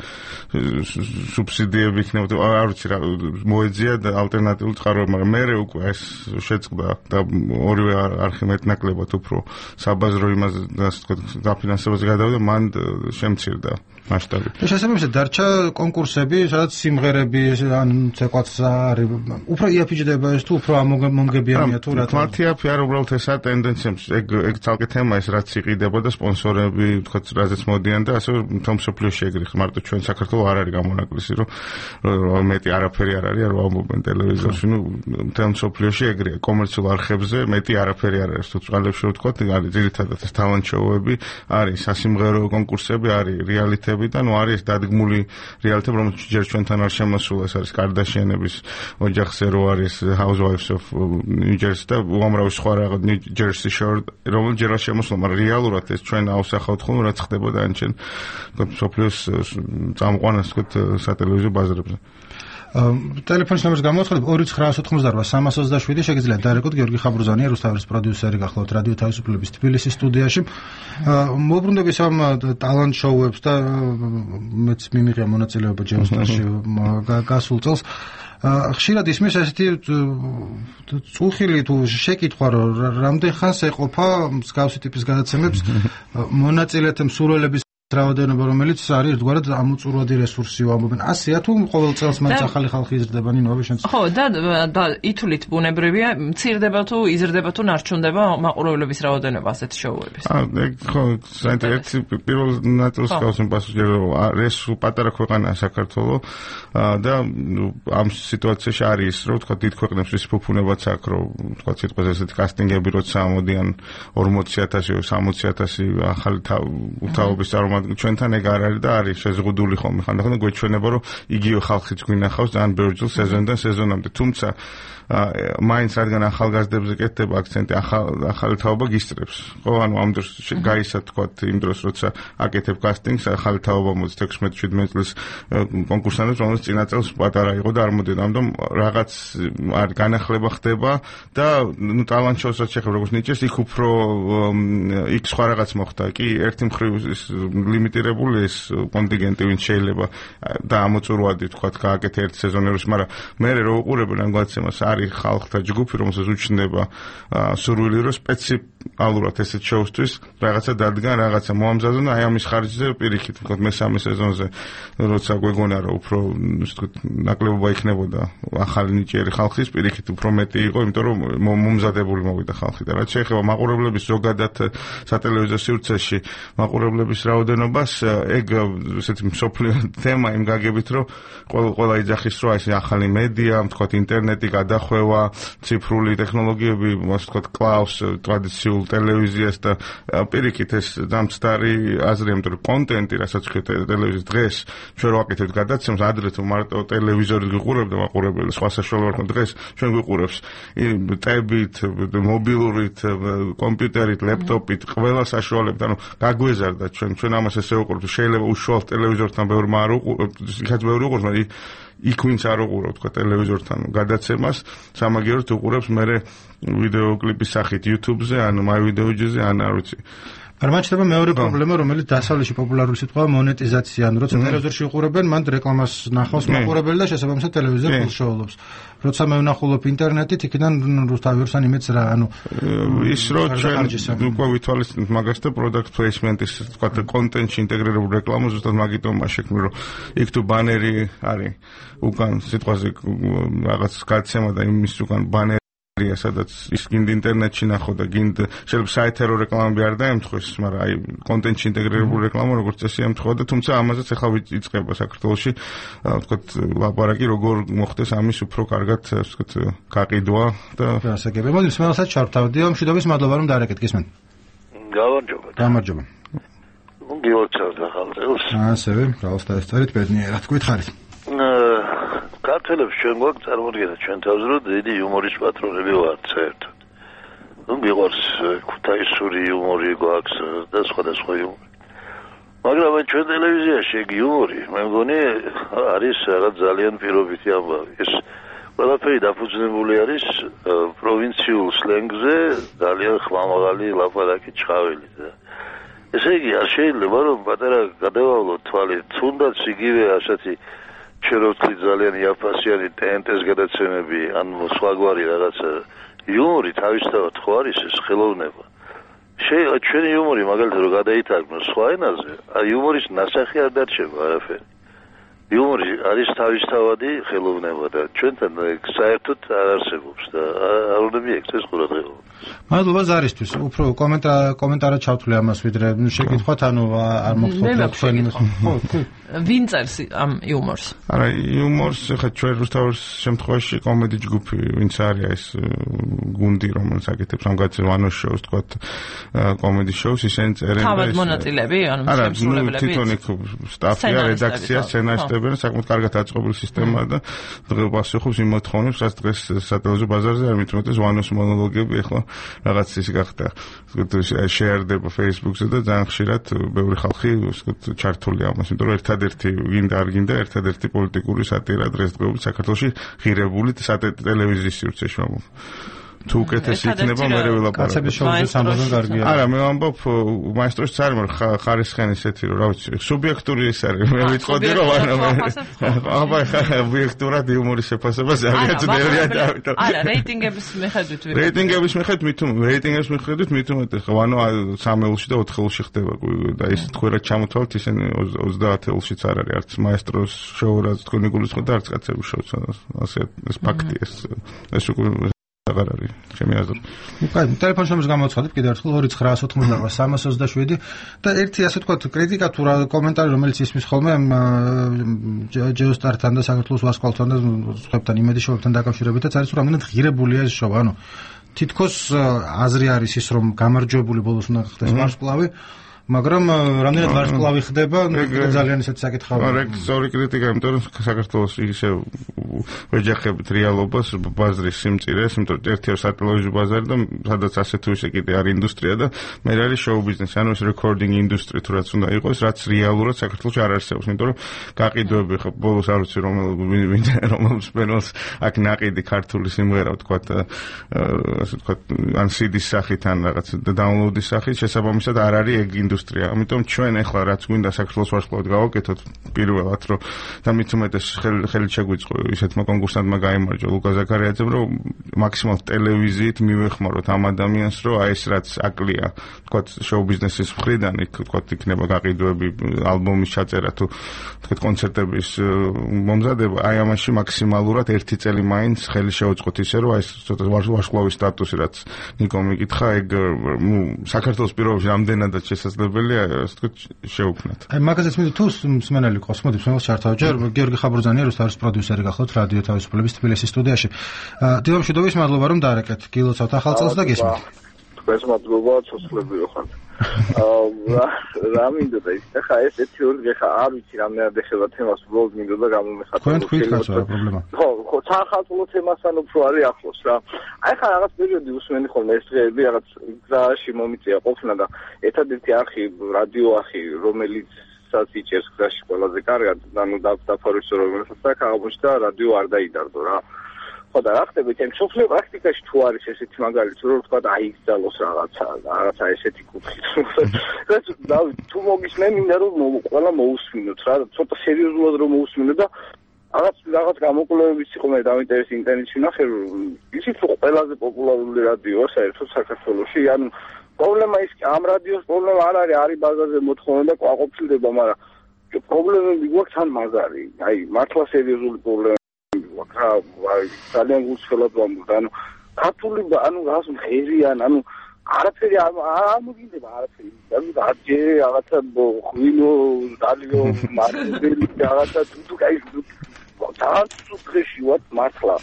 სუბსიდიები იქნებოდა, არ ვიცი რა მოეძია და ალტერნატიული წყაროები, მაგრამ მე უკვე ეს შეწყდა და ორივე არხი მეტნაკლებად უფრო საბაზრო იმაზე, ასე ვთქვათ, დაფინანსებაზე გადავიდა, მან შემცირდა მასშტაბი. შესაბამისად დარჩა კონკურსები, სადაც სიმღერები ან ცეკვაც არის, უფრო იაფიჯდება ეს თუ უფრო მომგებიანია თუ რა თქმა უნდა. მათი აფი არ უბრალოდ ესა ტენდენციებს, ეგ ცალკე თემა ეს რაც იყიდებოდა, სპონსორები, ვთქვათ, რაზეც მოდიან და ასე თომ სოფლიოში ეგრეხ, მარტო ჩვენ საქართველოს არ არის გამონაკლისი, რომ მეტი არაფერი არ არის, რომ ამობენ ტელევიზორში, ნუ თემ სოფლიოში ეგრეა, კომერციულ არხებზე მეტი არაფერი არ არის, თუ წყალებში რო ვთქვათ, არის ძირითადად ეს talent show-ები, არის სასიმღერო კონკურსები, არის რეალიტეტები და ნუ არის დადგმული რეალიტეტები, რომელიც ჯერ ჩვენთან არ შემოსულა, ეს არის კარდაშიანების ოჯახზე რო არის Housewives of New Jersey და უამრავი სხვა რაღაც New Jersey Shore, რომელიც ჯერ არ შემოსულა, მაგრამ რეალურად ეს ჩვენ ავსახავთ ხოლმე, რაც ხდებოდა ანჩენ, ვთქვათ, სოფლიოს წამყვანას, ვთქვათ, სატელევიზიო ბაზრებზე. ტელეფონის ნომერს გამოაცხადებ 2988327 შეგიძლიათ დაერეკოთ გიორგი ხაბურზანია, რუსთავერის პროდიუსერი გახლავთ რადიო თავისუფლების თბილისის სტუდიაში. მოუბრუნდები ამ ტალანტ შოუებს და მეც მიმიღია მონაწილეობა ჯეოსტარში გასულ წელს. ხშირად ისმის ესეთი წუხილი თუ შეკითხვა, რომ რამდენ ხანს ეყოფა მსგავსი ტიპის გადაცემებს მონაწილეთა მსურველების რაოდენობა, რომელიც არის ერთგვარად ამოწურვადი რესურსიო ამობენ. ასეა თუ ყოველ წელს მაინც ახალი ხალხი იზრდება ნინოები შენს? ხო, და ითვლით ბუნებრივია, მცირდება თუ იზრდება თუ ნარჩუნდება მაყურებლების რაოდენობა ასეთ შოუების. ეგ ხო, საინტერესო პირველ ნაწილს გავსმენ პასუხი, რომ ეს პატარა ქვეყანაა საქართველო და ამ სიტუაციაში არის, რომ თქვა დიდ ქვეყნებს ის ფუფუნებაც აქვს, რომ თქვა სიტყვაზე ესეთი კასტინგები როცა ამოდიან 40,000, 60,000 ახალი თავობის წარმომადგენლები მაგრამ ჩვენთან ეგ არ არის და არის შეზღუდული ხოლმე ხანდახან და გვეჩვენება რომ იგივე ხალხიც გვინახავს ძალიან ბევრი ჯერ სეზონიდან სეზონამდე თუმცა მაინც რადგან ახალგაზრდებზე კეთდება აქცენტი ახალი თაობა გისწრებს ხო ანუ ამ დროს გაისა თქვა იმ დროს როცა აკეთებ კასტინგს ახალი თაობა მოდის 16-17 წლის კონკურსანტებს რომელიც წინა წელს პატარა იყო და არ მოდიოდა ამიტომ რაღაც არ განახლება ხდება და ნუ ტალანტ შოუსაც შეხება როგორც ნიჭეს იქ უფრო იქ სხვა რაღაც მოხდა კი ერთი მხრივ ლიმიტირებული ეს კონტინგენტი ვინც შეიძლება და ამოწურვადი თქვა გააკეთე ერთ სეზონერს მაგრამ მე რო უყურებენ ამ გადაცემას არის ხალხთა ჯგუფი რომელსაც უჩნდება სურვილი რომ სპეციალურად ესეთ შოუსთვის რაღაცა დადგან რაღაცა მოამზადონ აი ამის ხარჯზე პირიქით თქვა მესამე სეზონზე როცა გვეგონა რომ უფრო ნაკლებობა იქნებოდა ახალი ნიჭიერი ხალხის პირიქით უფრო მეტი იყო იმიტომ რომ მომზადებული მოვიდა ხალხი და რაც შეეხება მაყურებლების ზოგადად სატელევიზიო სივრცეში მაყურებლების რაოდენობას ეგ ესეთი მსოფლიო თემა იმ გაგებით რომ ყველა იძახის რომ ეს ახალი მედია თქვა ინტერნეტი გადახვევა ციფრული ტექნოლოგიები ასე თქვა კლავს ტრადიციულ ტელევიზიას და პირიქით ეს დამცდარი აზრია იმიტომ რომ კონტენტი რასაც ხეთ ტელევიზიის დღეს ჩვენ რო ვაკეთებთ გადაცემას ადრე თუ მარტო ტელევიზორით გიყურებდა მაყურებელი სხვა საშუალო არ ქონდა დღეს ჩვენ გიყურებს ტებით მობილურით კომპიუტერით ლეპტოპით ყველა საშუალებით ანუ გაგვეზარდა ჩვენ ამას ესე ვუყურებთ შეიძლება უშუალოდ ტელევიზორთან ბევრი არ უყურებთ იქაც ბევრი უყურებთ მაგრამ იქ ვინც არ უყურავთ თქვა ტელევიზორთან გადაცემას სამაგიეროდ უყურებს მე ვიდეო კლიპის სახით YouTube-ზე ან MyVideoJet-ზე ან არ ვიცი მაგრამ ჩდება მეორე პრობლემა რომელიც დასავლეთში პოპულარული სიტყვაა მონეტიზაცია ანუ როცა ტელევიზორში უყურებენ მან რეკლამას ნახავს მაყურებელი და შესაბამისად ტელევიზორ ფულშოულობს როცა მე ვნახულობ ინტერნეტით იქიდან თავისთან იმეც რა ანუ ის რო ჩვენ უკვე ვითვალისწინებთ მაგას და product placement-ის თქვა კონტენტში ინტეგრირებული რეკლამა ზუსტად მაგიტომაა შექმნილი რომ იქ თუ ბანერი არის უკან სიტყვაზე რაღაც გადაცემა და იმის უკან ბანერი სადაც ის გინდ ინტერნეტში ნახო და გინდ შეიძლება საეთერო რეკლამები არ დაემთხვეს, მაგრამ აი კონტენტში ინტეგრირებული რეკლამა როგორც წესი ემთხვევა და თუმცა ამაზეც ახლა იწყება საქართველოში ვთქვათ ლაპარაკი როგორ მოხდეს ამის უფრო კარგად ვთქვათ გაყიდვა და გასაგები. მოდი მსმენელსაც ჩავთავდიო, მშვიდობის მადლობა რომ დაარეკეთ გისმენთ. გამარჯობა. ნუ გიოცავთ ახალ წელს. ასევე, ბრავოს დაესწარით ბედნიერად გითხარით. ქართველებს ჩვენ გვაქვს წარმოდგენა ჩვენ თავს რომ დიდი იუმორის პატრონები ვართ საერთოდ. ნუ მიყვარს ქუთაისური იუმორი გვაქვს და სხვადასხვა იუმორი. მაგრამ ჩვენ ტელევიზიაში ეგ იუმორი მე მგონი არის რაღაც ძალიან პირობითი ამბავი. ეს ყველაფერი დაფუძნებული არის პროვინციულ სლენგზე ძალიან ხმამაღალი ლაპარაკი ჩხავილი და ესე იგი არ შეიძლება რომ პატარა გადავავლოთ თვალი თუნდაც იგივე ასეთი შეროთლი ძალიან იაფასიანი ტენტეს გადაცემები ან სხვაგვარი რაღაცა იუმორი თავისთავად ხო არის ეს ხელოვნება ჩვენი იუმორი მაგალითად რომ გადაითარგმნოს სხვა ენაზე იუმორის ნასახი არ დარჩება არაფერი იუმორი არის თავისთავადი ხელოვნება და ჩვენთან საერთოდ არ არსებობს და არ უნდა მიექცეს ყურადღება მადლობა ზარისთვის უფრო კომენტარად ჩავთვლი ამას ვიდრე შეკითხვათ ანუ არ მოგხდეთ თქვენი ვინ წერს ამ იუმორს? არა იუმორს ხა ჩვენ რუსთავის შემთხვევაში კომედი ჯგუფი ვინც არის ეს გუნდი რომელიც აკეთებს ამ გადაცემას ვანოს შოუს თქვათ კომედი შოუს ისინი წერენ და თავად მონაწილეები ანუ შემსრულებლები თვითონ იქ სტაფია რედაქცია სცენარისტები საკმაოდ კარგად აწყობილი სისტემა და დღეს პასუხობს იმ მოთხოვნებს რაც დღეს სატელევიზიო ბაზარზე არ მithumetes ვანოს მონოლოგები ახლა რაღაც ის გახდა შეერდება Facebook-ზე და ძალიან ხშირად ბევრი ხალხი ჩართული ამას იმიტომ რომ ერთადერთი გინდა არ გინდა ერთადერთი პოლიტიკური სატირა დღესდღეობით საქართველოში ღირებული ტელევიზიის სივრცეში თუ უკეთესი იქნება მე ველაპარაკო. კაცების შოუზე სამბობენ კარგია. არა, მე ვამბობ მაესტროს წარ მაგრამ ხარისხენი ესეთი რომ რა ვიცი, სუბიექტური ეს არის. მე ვიტყოდი რომ აბა ობიექტურად იუმორის შეფასება ზოგადად ბევრია და ამიტომ. არა, რეიტინგების მიხედვით ვიყავ. რეიტინგების მიხედვით მithumetes ვანო 3-ელში და 4-ელში ხდება და ის თქვენად ჩამოთვალთ ისინი 30-ელშიც არ არის არც მაესტროს შოუ რაც თქვენი გულისხმობთ და არც კაცების შოუც ასე ეს ფაქტია ეს უკვე აღარ არის ჩემი აზრით. უკაი ტელეფონის ნომერს გამოცხადებ კიდევ ერთხელ 2988327 და ერთი ასე ვთქვათ კრიტიკა თუ რა კომენტარი რომელიც ისმის ხოლმე ჯეოსტართან და საქართველოს ვარსკვლავთან და სხვებთან იმედი შოუებთან დაკავშირებითაც არის რომ რამდენად ღირებულია ეს შოუ ანუ თითქოს აზრი არის ის რომ გამარჯვებული ბოლოს უნდა ხდეს ვარსკვლავი მაგრამ რამდენად ვარსკვლავი ხდება, ძალიან ისეთი საკითხია. ეგ სწორი კრიტიკა, იმიტომ რომ საქართველოს ისე ვეჯახებით რეალობას, ბაზრის სიმწირეს, იმიტომ რომ ერთი არის სატელევიზიო ბაზარი და სადაც ასე თუ ისე კიდე არის ინდუსტრია და მე არის შოუ ბიზნესი, ანუ ეს რეკორდინგ ინდუსტრია თუ რაც უნდა იყოს, რაც რეალურად საქართველოში არ არსებობს, იმიტომ რომ გაყიდვები ხო ბოლოს არ ვიცი რომელ სპენელს აქ ნაყიდი ქართული სიმღერა ვთქვათ, ასე ვთქვათ, ან CD-ის სახით ან რაღაც დაუნლოუდის სახით შესაბამისად არ არის ეგ ინდუსტრია. ამიტომ ჩვენ ახლა რაც გვინდა საქართველოს ვარსკვლავად გავაკეთოთ პირველად რომ და მით უმეტეს ხელით შეგვიწყო ისეთმა კონკურსანტმა გაიმარჯვა ლუკა ზაქარიაძემ რომ მაქსიმალ ტელევიზიით მივეხმაროთ ამ ადამიანს რომ აი ეს რაც აკლია თქვათ შოუ ბიზნესის მხრიდან თქვათ იქნება გაყიდვები ალბომის ჩაწერა თუ თქვათ კონცერტების მომზადება აი ამაში მაქსიმალურად ერთი წელი მაინც ხელი შეუწყოთ ისე რომ აი ეს ცოტა ვარსკვლავის სტატუსი რაც ნიკომ იკითხა ეგ საქართველოს პირობებში რამდენადაც შესაძლებელია ასე ვთქვათ შეუქმნათ. აი მაგაზეც მინდა თუ მსმენელი ყავს მოდი მსმენელს ჩართავ ჯერ გიორგი ხაბურძანი არის თავის პროდიუსერი გახლავთ რადიო თავისუფლების თბილისის სტუდიაში. დილა მშვიდობის მადლობა რომ დაარეკეთ გილოცავთ ახალ წელს და გესმით. თქვენს მადლობა ცოცხლები ხართ. რა მინდა და ის ხა ეს თეორია ხა არ ვიცი რამდენად ეხება თემას უბრალოდ მინდა და გამომეხატა. თქვენ თქვით ხართ რა პრობლემა. ხო სახელმწიფო თემასთან უფრო არის ახლოს რა. აი ხა რაღაც პერიოდი უსმენი ხოლმე ეს დღეები რაღაც გზაში მომიწია ყოფნა და ერთადერთი არხი რადიო არხი რომელიც საწიჭეს გზაში ყველაზე კარგად ანუ დაფარვის რომელსაც აქ აღმოჩნდა რადიო არ დაიდარდო რა. ხო და რა ხდება ჩემ სოფლიო პრაქტიკაში თუ არის ესეთი მაგალითი რომ თქვა და აიგზალოს რაღაცა ესეთი კუთხით. თუ მოგისმე მინდა რომ ყველა მოусმინოთ რა ცოტა სერიოზულად რომ მოусმინო და რაღაც გამოკვლევებიც იყო მე დავინტერესდი ინტერნეტში ნახე ისიც რომ ყველაზე პოპულარული რადიოა საერთოდ საქართველოში ანუ პრობლემა ის ამ რადიოს პრობლემა არ არის ბაზარზე მოთხოვნა და ყვაყოფილდება მაგრამ პრობლემები გვაქვს თან მაგარი აი მართლა სერიოზული პრობლემა აი ძალიან გულწრფელად ვამბობ ანუ ქართული ანუ რაღაც ღერიან ანუ არაფერი არ მოგინდება არაფერი ანუ დაჯე რაღაცა ღვინო დალიო მარცებელი რაღაცა თუ კაი ძალიან სუქრეში ვარ მართლა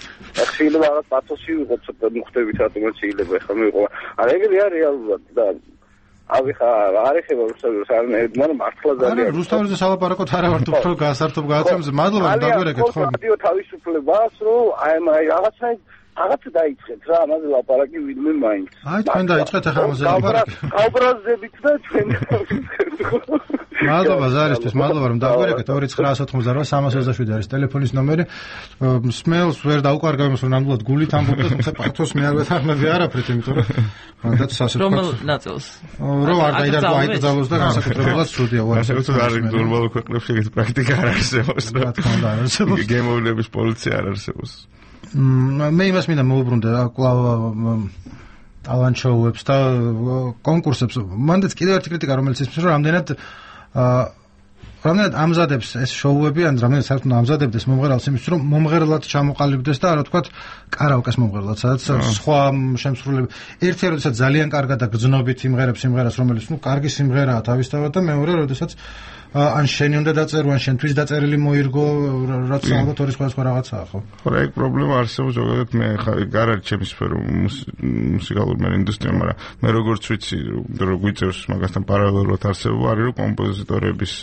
შეიძლება რაღაც პათოსი ვიყო ცოტა მოხდებით რატომაც შეიძლება ეხლა მიყო არა ეგრე არის რეალურად და აი ხა არ ეხება რუსთავის არანაირად მაგრამ მართლა ძალიან რუსთავის სალაპარაკოთ არა ვარ თუ უფრო გასართობ გააცემს მადლობა რომ დაგვერეკეთ ხო რადიო თავისუფლებას რომ აი რაღაცა დაიწყეთ რა ამაზე ლაპარაკი ვინმე მაინც აი თქვენ დაიწყეთ ახლა ამაზე ლაპარაკი გაუბრაზდებით და ჩვენ მადლობა ზარისთვის მადლობა რომ დაგვერეკეთ 2988 არის ტელეფონის ნომერი სმეილს ვერ დაუყარგავ იმას რომ ნამდვილად გულით ამბობთ თუმცა პათოს მე არ ვეთანხმები არაფრით იმიტომ რომ მანდაც ასე რომელ ნაწილს რომ არ დაიდარგო აიკრძალოს და განსაკუთრებულად სრუდია განსაკუთრებით არ ნორმალურ ქვეყნებში ეს პრაქტიკა არ არსებობს რა თქმა უნდა არ არსებობს გემოვნების პოლიცია არ არსებობს მე იმას მინდა მოვუბრუნდე კვლავ ტალანტ შოუებს და კონკურსებს მანდაც კიდევ ერთი კრიტიკა რომელიც ისმის რომ რამდენად ამზადებს ეს შოუები ან რამდენად საერთოდ ამზადებდეს მომღერალს იმისთვის რომ მომღერლად ჩამოყალიბდეს და რა თქვათ კარაოკეს მომღერლად სადაც სხვა შემსრულებელი ერთი როდესაც ძალიან კარგად და გრძნობით იმღერებს სიმღერას რომელიც კარგი სიმღერაა თავისთავად და მეორე როდესაც ან შენი უნდა დაწერო ან შენთვის დაწერილი მოირგო რაც ალბათ ორი სხვა რაღაცაა ხო ხო ეგ პრობლემა არსებობს ზოგადად მე ხა არ არის ჩემი სფერო მუსიკალური ინდუსტრია მაგრამ მე როგორც ვიცი რომ გვიწევს მაგასთან პარალელურად არსებობა არის რომ კომპოზიტორების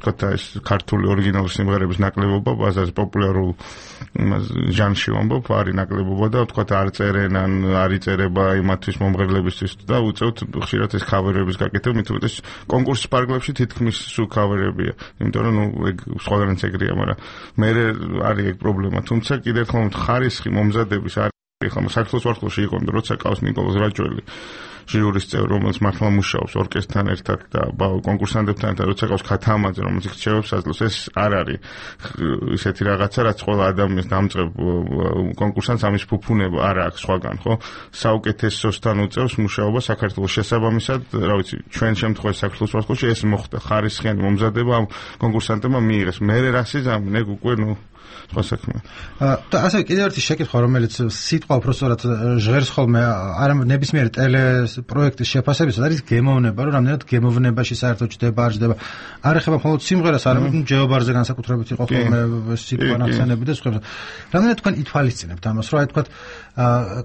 თქვა ეს ქართული ორიგინალური სიმღერების ნაკლებობა ბაზარზე პოპულარულ ჟანრში ვამბობ არის ნაკლებობა და თქვა არ წერენ ან არ იწერება იმათთვის მომღერლებისთვის და უწევთ ხშირად ეს ქავერების გაკეთება მით უმეტეს კონკურსის პარკლებში თითქმის სულ ქავერებია იმიტომ რომ ეგ სხვაგანაც ეგრეა მაგრამ მე არის ეგ პრობლემა თუმცა კიდევ ერთხელ ხარისხი მომზადების არის ხომ საქართველოს ვარსკვლავში იყო იმიტომ როცა ყავს ნიკოლოზ რაჭველი ჟიურის წევრი რომელიც მართლა მუშაობს ორკესტრთან ერთად და კონკურსანტებთან ერთად როცა ყავს ქათამაძე რომელიც რჩევებს აძლევს ეს არ არის ისეთი რაღაცა რაც ყველა ადამიანს დამწყებ კონკურსანტს ამის ფუფუნება არ აქვს სხვაგან ხო საუკეთესოსთან უწევს მუშაობა საქართველოს შესაბამისად რა ვიცი ჩვენ შემთხვევაში საქართველოს ვარსკვლავში ეს მოხდა ხარისხიანი მომზადება ამ კონკურსანტებმა მიიღეს მე რასიზამ ეგ უკვე სხვა საქმე. და ასე კიდევ ერთი შეკითხვა, რომელიც სიტყვა უბრალოდ ჟღერს ხოლმე არა ნებისმიერი ტელეპროექტის შეფასებისას არის გემოვნება, რომ რამდენად გემოვნებაში საერთოდ ჯდება არ ჯდება. არ ეხება მხოლოდ სიმღერას, არამედ ჯეობარზე განსაკუთრებით იყო ხოლმე სიტყვა ნახსენები და სხვა. რამდენად თქვენ ითვალისწინებთ ამას, რომ აი თქვა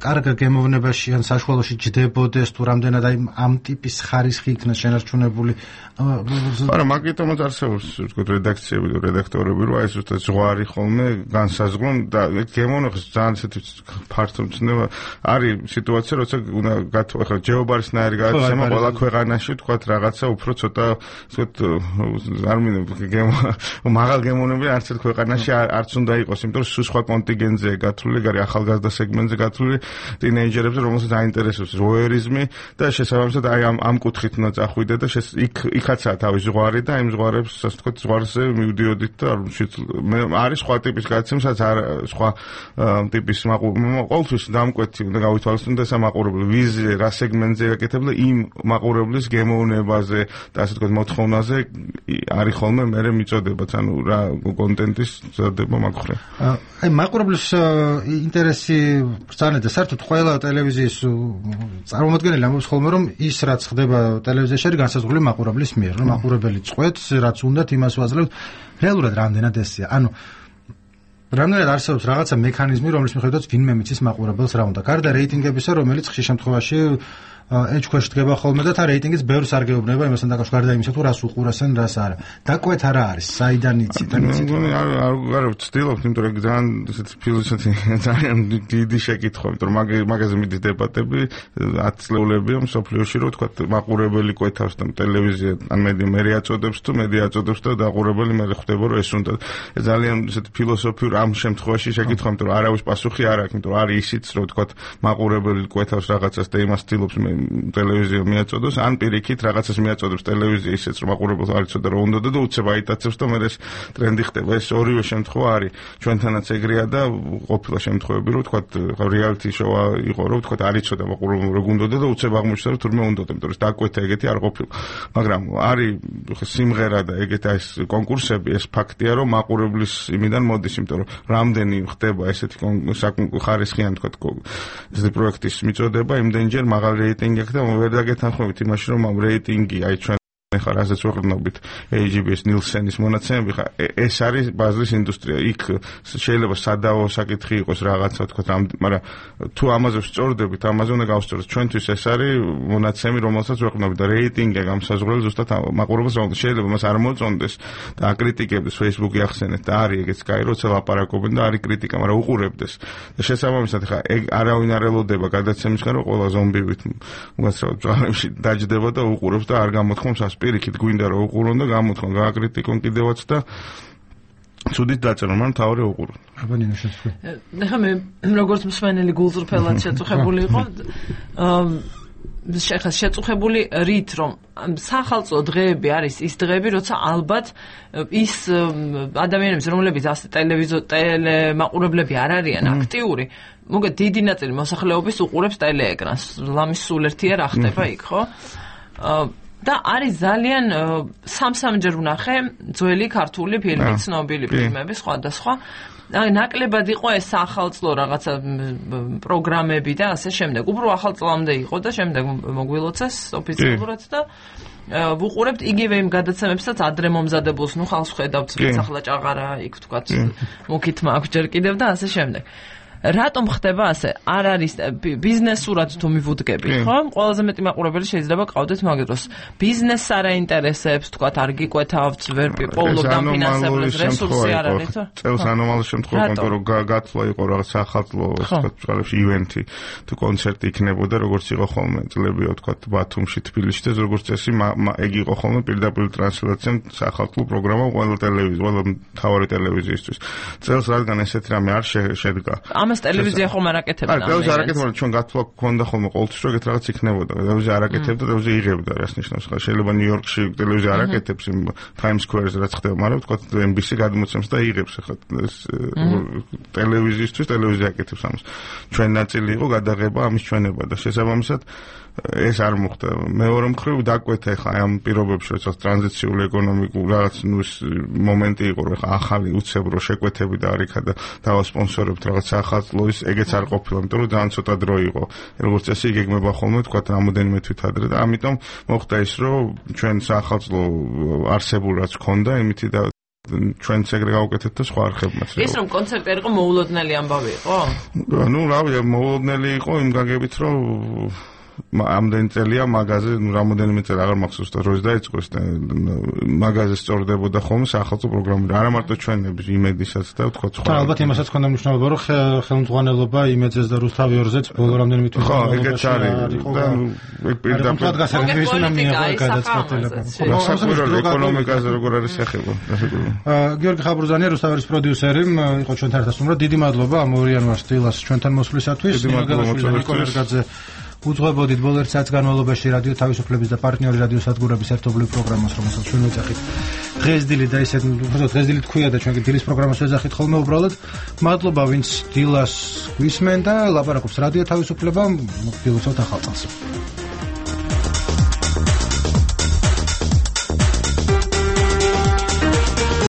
კარგ გემოვნებაში ან საშუალოში ჯდებოდეს თუ რამდენად აი ამ ტიპის ხარისხი იქნას შენარჩუნებული. არა, მაგიტომაც არსებობს თქო რედაქციები და რედაქტორები, რომ აი ზუსტად ზღვარი ხოლმე განსაზღვრონ და გემოვნებას ძალიან ესეთი ფართო მცნობა არის სიტუაცია, როცა უნდა გათო ახლა ჯეობარისნაირი გადაცემა ყველა ქვეყანაში თქვა რაღაცა უფრო ცოტა არ მინდა მაღალ გემოვნები არც ერთ ქვეყანაში არც უნდა იყოს, იმიტომ რომ სხვა კონტინგენტზე გათვლილი, გარი ახალგაზრდა სეგმენტზე გათვლილი ტინეიჯერებზე, რომელსაც აინტერესებს ვოიერიზმი და შესაბამისად აი ამ კუთხით უნდა წახვიდე და იქაცაა თავის ზღვარი და იმ ზღვარებს ასე ვთქვათ ზღვარზე მივდიოდით და არის სხვა ტიპის გადაცემა, სადაც სხვა ტიპის ყოველთვის დამკვეთი უნდა გავითვალისწინოთ ეს მაყურებელი ვიზზე რა სეგმენტზე ეკეთებდა იმ მაყურებლის გემოვნებაზე და ასე ვთქვათ მოთხოვნაზე არის ხოლმე მე მიწოდებაც ანუ რა კონტენტის ზრდება მაგხრი. აი მაყურებლის ინტერესი ბრძანეთ და საერთოდ ყველა ტელევიზიის წარმომადგენელი ამბობს ხოლმე რომ ის რაც ხდება ტელევიზიაში არის განსაზღვრული მაყურებლის მიერ, რომ მაყურებელი წყვეტს რაც უნდათ იმას ვაძლევთ. რეალურად რამდენად ესეა? ანუ რამდენად არსებობს რაღაცა მექანიზმი, რომლის მიხედვითაც ვინმე მიცის მაყურებელს რა უნდა. გარდა რეიტინგებისა, რომელიც ხშირ შემთხვევაში ეჭქვეშ დგება ხოლმე და თა რეიტინგიც ბევრს არ გეუბნება იმასთან დაკავშირებით, გარდა იმისა, თუ რას უყურასენ, რას არა. დაკვეთა რა არის? საიდან იცით? არ ვცდილობ, იმიტომ რომ ძალიან ესეთი ფილოსოფი ძალიან დიდი შეკითხვა, იმიტომ რომ მაგაზე მიდის დებატები 10 წლეულებია მსოფლიოში, რომ თქვა მაყურებელი კვეთავს და ტელევიზია ან მედია აწოდებს თუ მედია აწოდებს და დაყურებელი მე ხვდება რომ ეს უნდა ძალიან ესეთი ფილოსოფიურ ამ შემთხვევაში შეკითხვა, იმიტომ რომ არავის პასუხი არ აქვს, იმიტომ რომ არის ისიც რომ თქვა მაყურებელი კვეთავს რაღაცას და იმას ცდილობს ტელევიზია მიაწოდოს, ან პირიქით რაღაცას მიაწოდებს ტელევიზია ისეც რომ მაყურებელს არ იცოდა რომ უნდა და უცებ აიტაცებს და მე ეს ტრენდი ხდება. ეს ორივე შემთხვევა არის ჩვენთანაც ეგრეა და ყოფილა შემთხვევები რომ თქვა რეალიტი შოუ იყო რომ თქვა არ იცოდა მაყურებელს რომ უნდა და უცებ აღმოჩნდა რომ თურმე უნდა, იმიტომ რომ დაკვეთა ეგეთი არ ყოფილა. მაგრამ არის სიმღერა და ეგეთი ეს კონკურსები, ეს ფაქტია რომ მაყურებლის იმიდან მოდის, იმიტომ რომ რამდენი ხდება ესეთი ხარისხიანი თქვა ესეთი პროექტის მიწოდება, იმდენჯერ მაღალი რეიტინგი აქ და ვერ დაგეთანხმებით იმაში რომ ამ რეიტინგი აი ჩვენ ხა რასაც ვეყრდნობით AGB-ის ნილსენის მონაცემები ხა ეს არის ბაზრის ინდუსტრია. იქ შეიძლება სადავო საკითხი იყოს რაღაცა თქვა, მაგრამ თუ ამაზე ვსწორდებით, ამაზე უნდა გავსწოროთ. ჩვენთვის ეს არის მონაცემი, რომელსაც ვეყრდნობით და რეიტინგი გამსაზღვრელი ზუსტად მაყურებელს რა უნდა. შეიძლება მას არ მოწონდეს და აკრიტიკებდეს Facebook-ი ახსენეთ და არის ეგეც კაი, როცა ლაპარაკობენ და არის კრიტიკა, მაგრამ უყურებდეს. და შესაბამისად ხა ეგ არავინ არ ელოდება გადაცემისგან რომ ყველა ზომბივით უაცრავად ბრძოლებში დაჯდება და უყურებს და არ გამოთქვამს პირიქით გვინდა რომ უყურონ და გამოთქვან გააკრიტიკონ კიდევაც და ცუდით დაწერონ, მაგრამ თავი უყურონ. აბა ნინო შეცვლი. ახლა მე როგორც მსმენელი გულწრფელად შეწუხებული იყო შეწუხებული რით რომ სახალხო დღეები არის ის დღეები, როცა ალბათ ის ადამიანები, რომლებიც ასე ტელემაყურებლები არ არიან აქტიური, მოგეთ დიდი ნაწილი მოსახლეობის უყურებს ტელეეკრანს. ლამის სულ ერთია რა ხდება იქ, ხო? და არის ძალიან სამჯერ ვნახე ძველი ქართული ფილმი, ცნობილი ფილმები, სხვადასხვა. აი ნაკლებად იყო ეს ახალწლო რაღაცა პროგრამები და ასე შემდეგ. უფრო ახალწლამდე იყო და შემდეგ მოგვილოცეს ოფიციალურად და ვუყურებთ იგივე იმ გადაცემებსაც ადრე მომზადებულს, ნუ ხალხს ხედავთ, ახლა ჭაღარა იქ თქვათ, მუქით მაქვს ჯერ კიდევ და ასე შემდეგ. რატომ ხდება ასე? არ არის ბიზნესურად თუ მივუდგებით, ხო? ყველაზე მეტი მაყურებელი შეიძლება ყავდეთ მაგ დროს. ბიზნესს არ აინტერესებს, თქვათ, არ გიკვეთავთ, ვერ პოულობთ ამ ფინანსებრივ რესურსი არ არის, ხო? წელს ანომალური შემთხვევა, იმიტომ რომ გათვლა იყო რაღაც ახალწლო, თქვათ, წყალებში ივენთი თუ კონცერტი იქნებოდა, როგორც იყო ხოლმე წლებია, თქვათ, ბათუმში, თბილისში და როგორც წესი, ეგ იყო ხოლმე პირდაპირ ტრანსლაცია ახალწლო პროგრამა ყველა ტელევიზია, ყველა მთავარი ტელევიზიისთვის. წელს რადგან ესეთი რამე არ შედგა. ტელევიზია ხომ არ აკეთებდა. ტელევიზია არ აკეთებდა, ჩვენ გათვლა გქონდა ხოლმე ყოველთვის რომ ეგეთ რაღაც იქნებოდა. ტელევიზია არ აკეთებდა, ტელევიზია იღებდა, რას ნიშნავს ხა? შეიძლება ნიუ-იორკში ტელევიზია არ აკეთებს იმ Times Square-ზე რაც ხდება, მაგრამ თქვა NBC გადმოცემს და იღებს ხა ტელევიზიისთვის ტელევიზია აკეთებს ამას. ჩვენ ნაწილი იყო გადაღება ამის ჩვენება და შესაბამისად ეს არ მოხდა. მეორე მხრივ დაკვეთა ხა ამ პირობებში, როდესაც ტრანზიციული ეკონომიკური რაღაც მომენტი იყო, რომ ხა ახალი უცებრო შეკვეთები და არიქა და დავასპონსორებთ რაღაც ახალწლოვის, ეგეც არ ყოფილა, იმიტომ რომ ძალიან ცოტა დრო იყო. როგორც წესი იგეგმება ხოლმე თქვა რამოდენიმე თვით ადრე და ამიტომ მოხდა ის, რომ ჩვენ ახალწლო არსებულ რაც ქონდა, იმითი და ჩვენც ეგრე გავუკეთეთ და სხვა არხებმაც. ის რომ კონცერტი იყო მოულოდნელი ამბავი იყო? ნუ რავი, მოულოდნელი იყო იმ გაგებით, რომ ამდენი წელია მაღაზე, რამოდენიმე წელი აღარ მახსოვს და როდის დაიწყო ეს მაღაზე სწორდებოდა ხოლმე სახელმწიფო პროგრამები. არა მარტო ჩვენების იმედისაც და ვთქვათ სხვა. და ალბათ იმასაც ქონდა მნიშვნელობა, რომ ხელმძღვანელობა იმედზეც და რუსთავი ორზეც ბოლო რამდენიმე თვის ხო, ეგეც არის. და ეგ პირდაპირ გასაგებია უნდა მიიღო გადაწყვეტილება. საქმეში ეკონომიკაზე როგორ არის ეხება. გიორგი ხაბრუზანია, რუსთავის პროდიუსერი, იყო ჩვენთან ერთად სტუმრად. დიდი მადლობა ამ 2 იანვარს დილას ჩვენთან მოსვლისათვის. ნიკოლერგაძე უძღვებოდით ბოლო 1 საათის განმავლობაში რადიო თავისუფლების და პარტნიორი რადიო სადგურების ერთობლივ პროგრამას, რომელსაც ჩვენ ვეძახით დღესდილი და ისეთ უბრალოდ დღესდილი თქვია და ჩვენ დილის პროგრამას ვეძახით ხოლმე უბრალოდ. მადლობა ვინც დილას გვისმენ და ლაპარაკობს რადიო თავისუფლება, მოგილოცავთ ახალ წელს.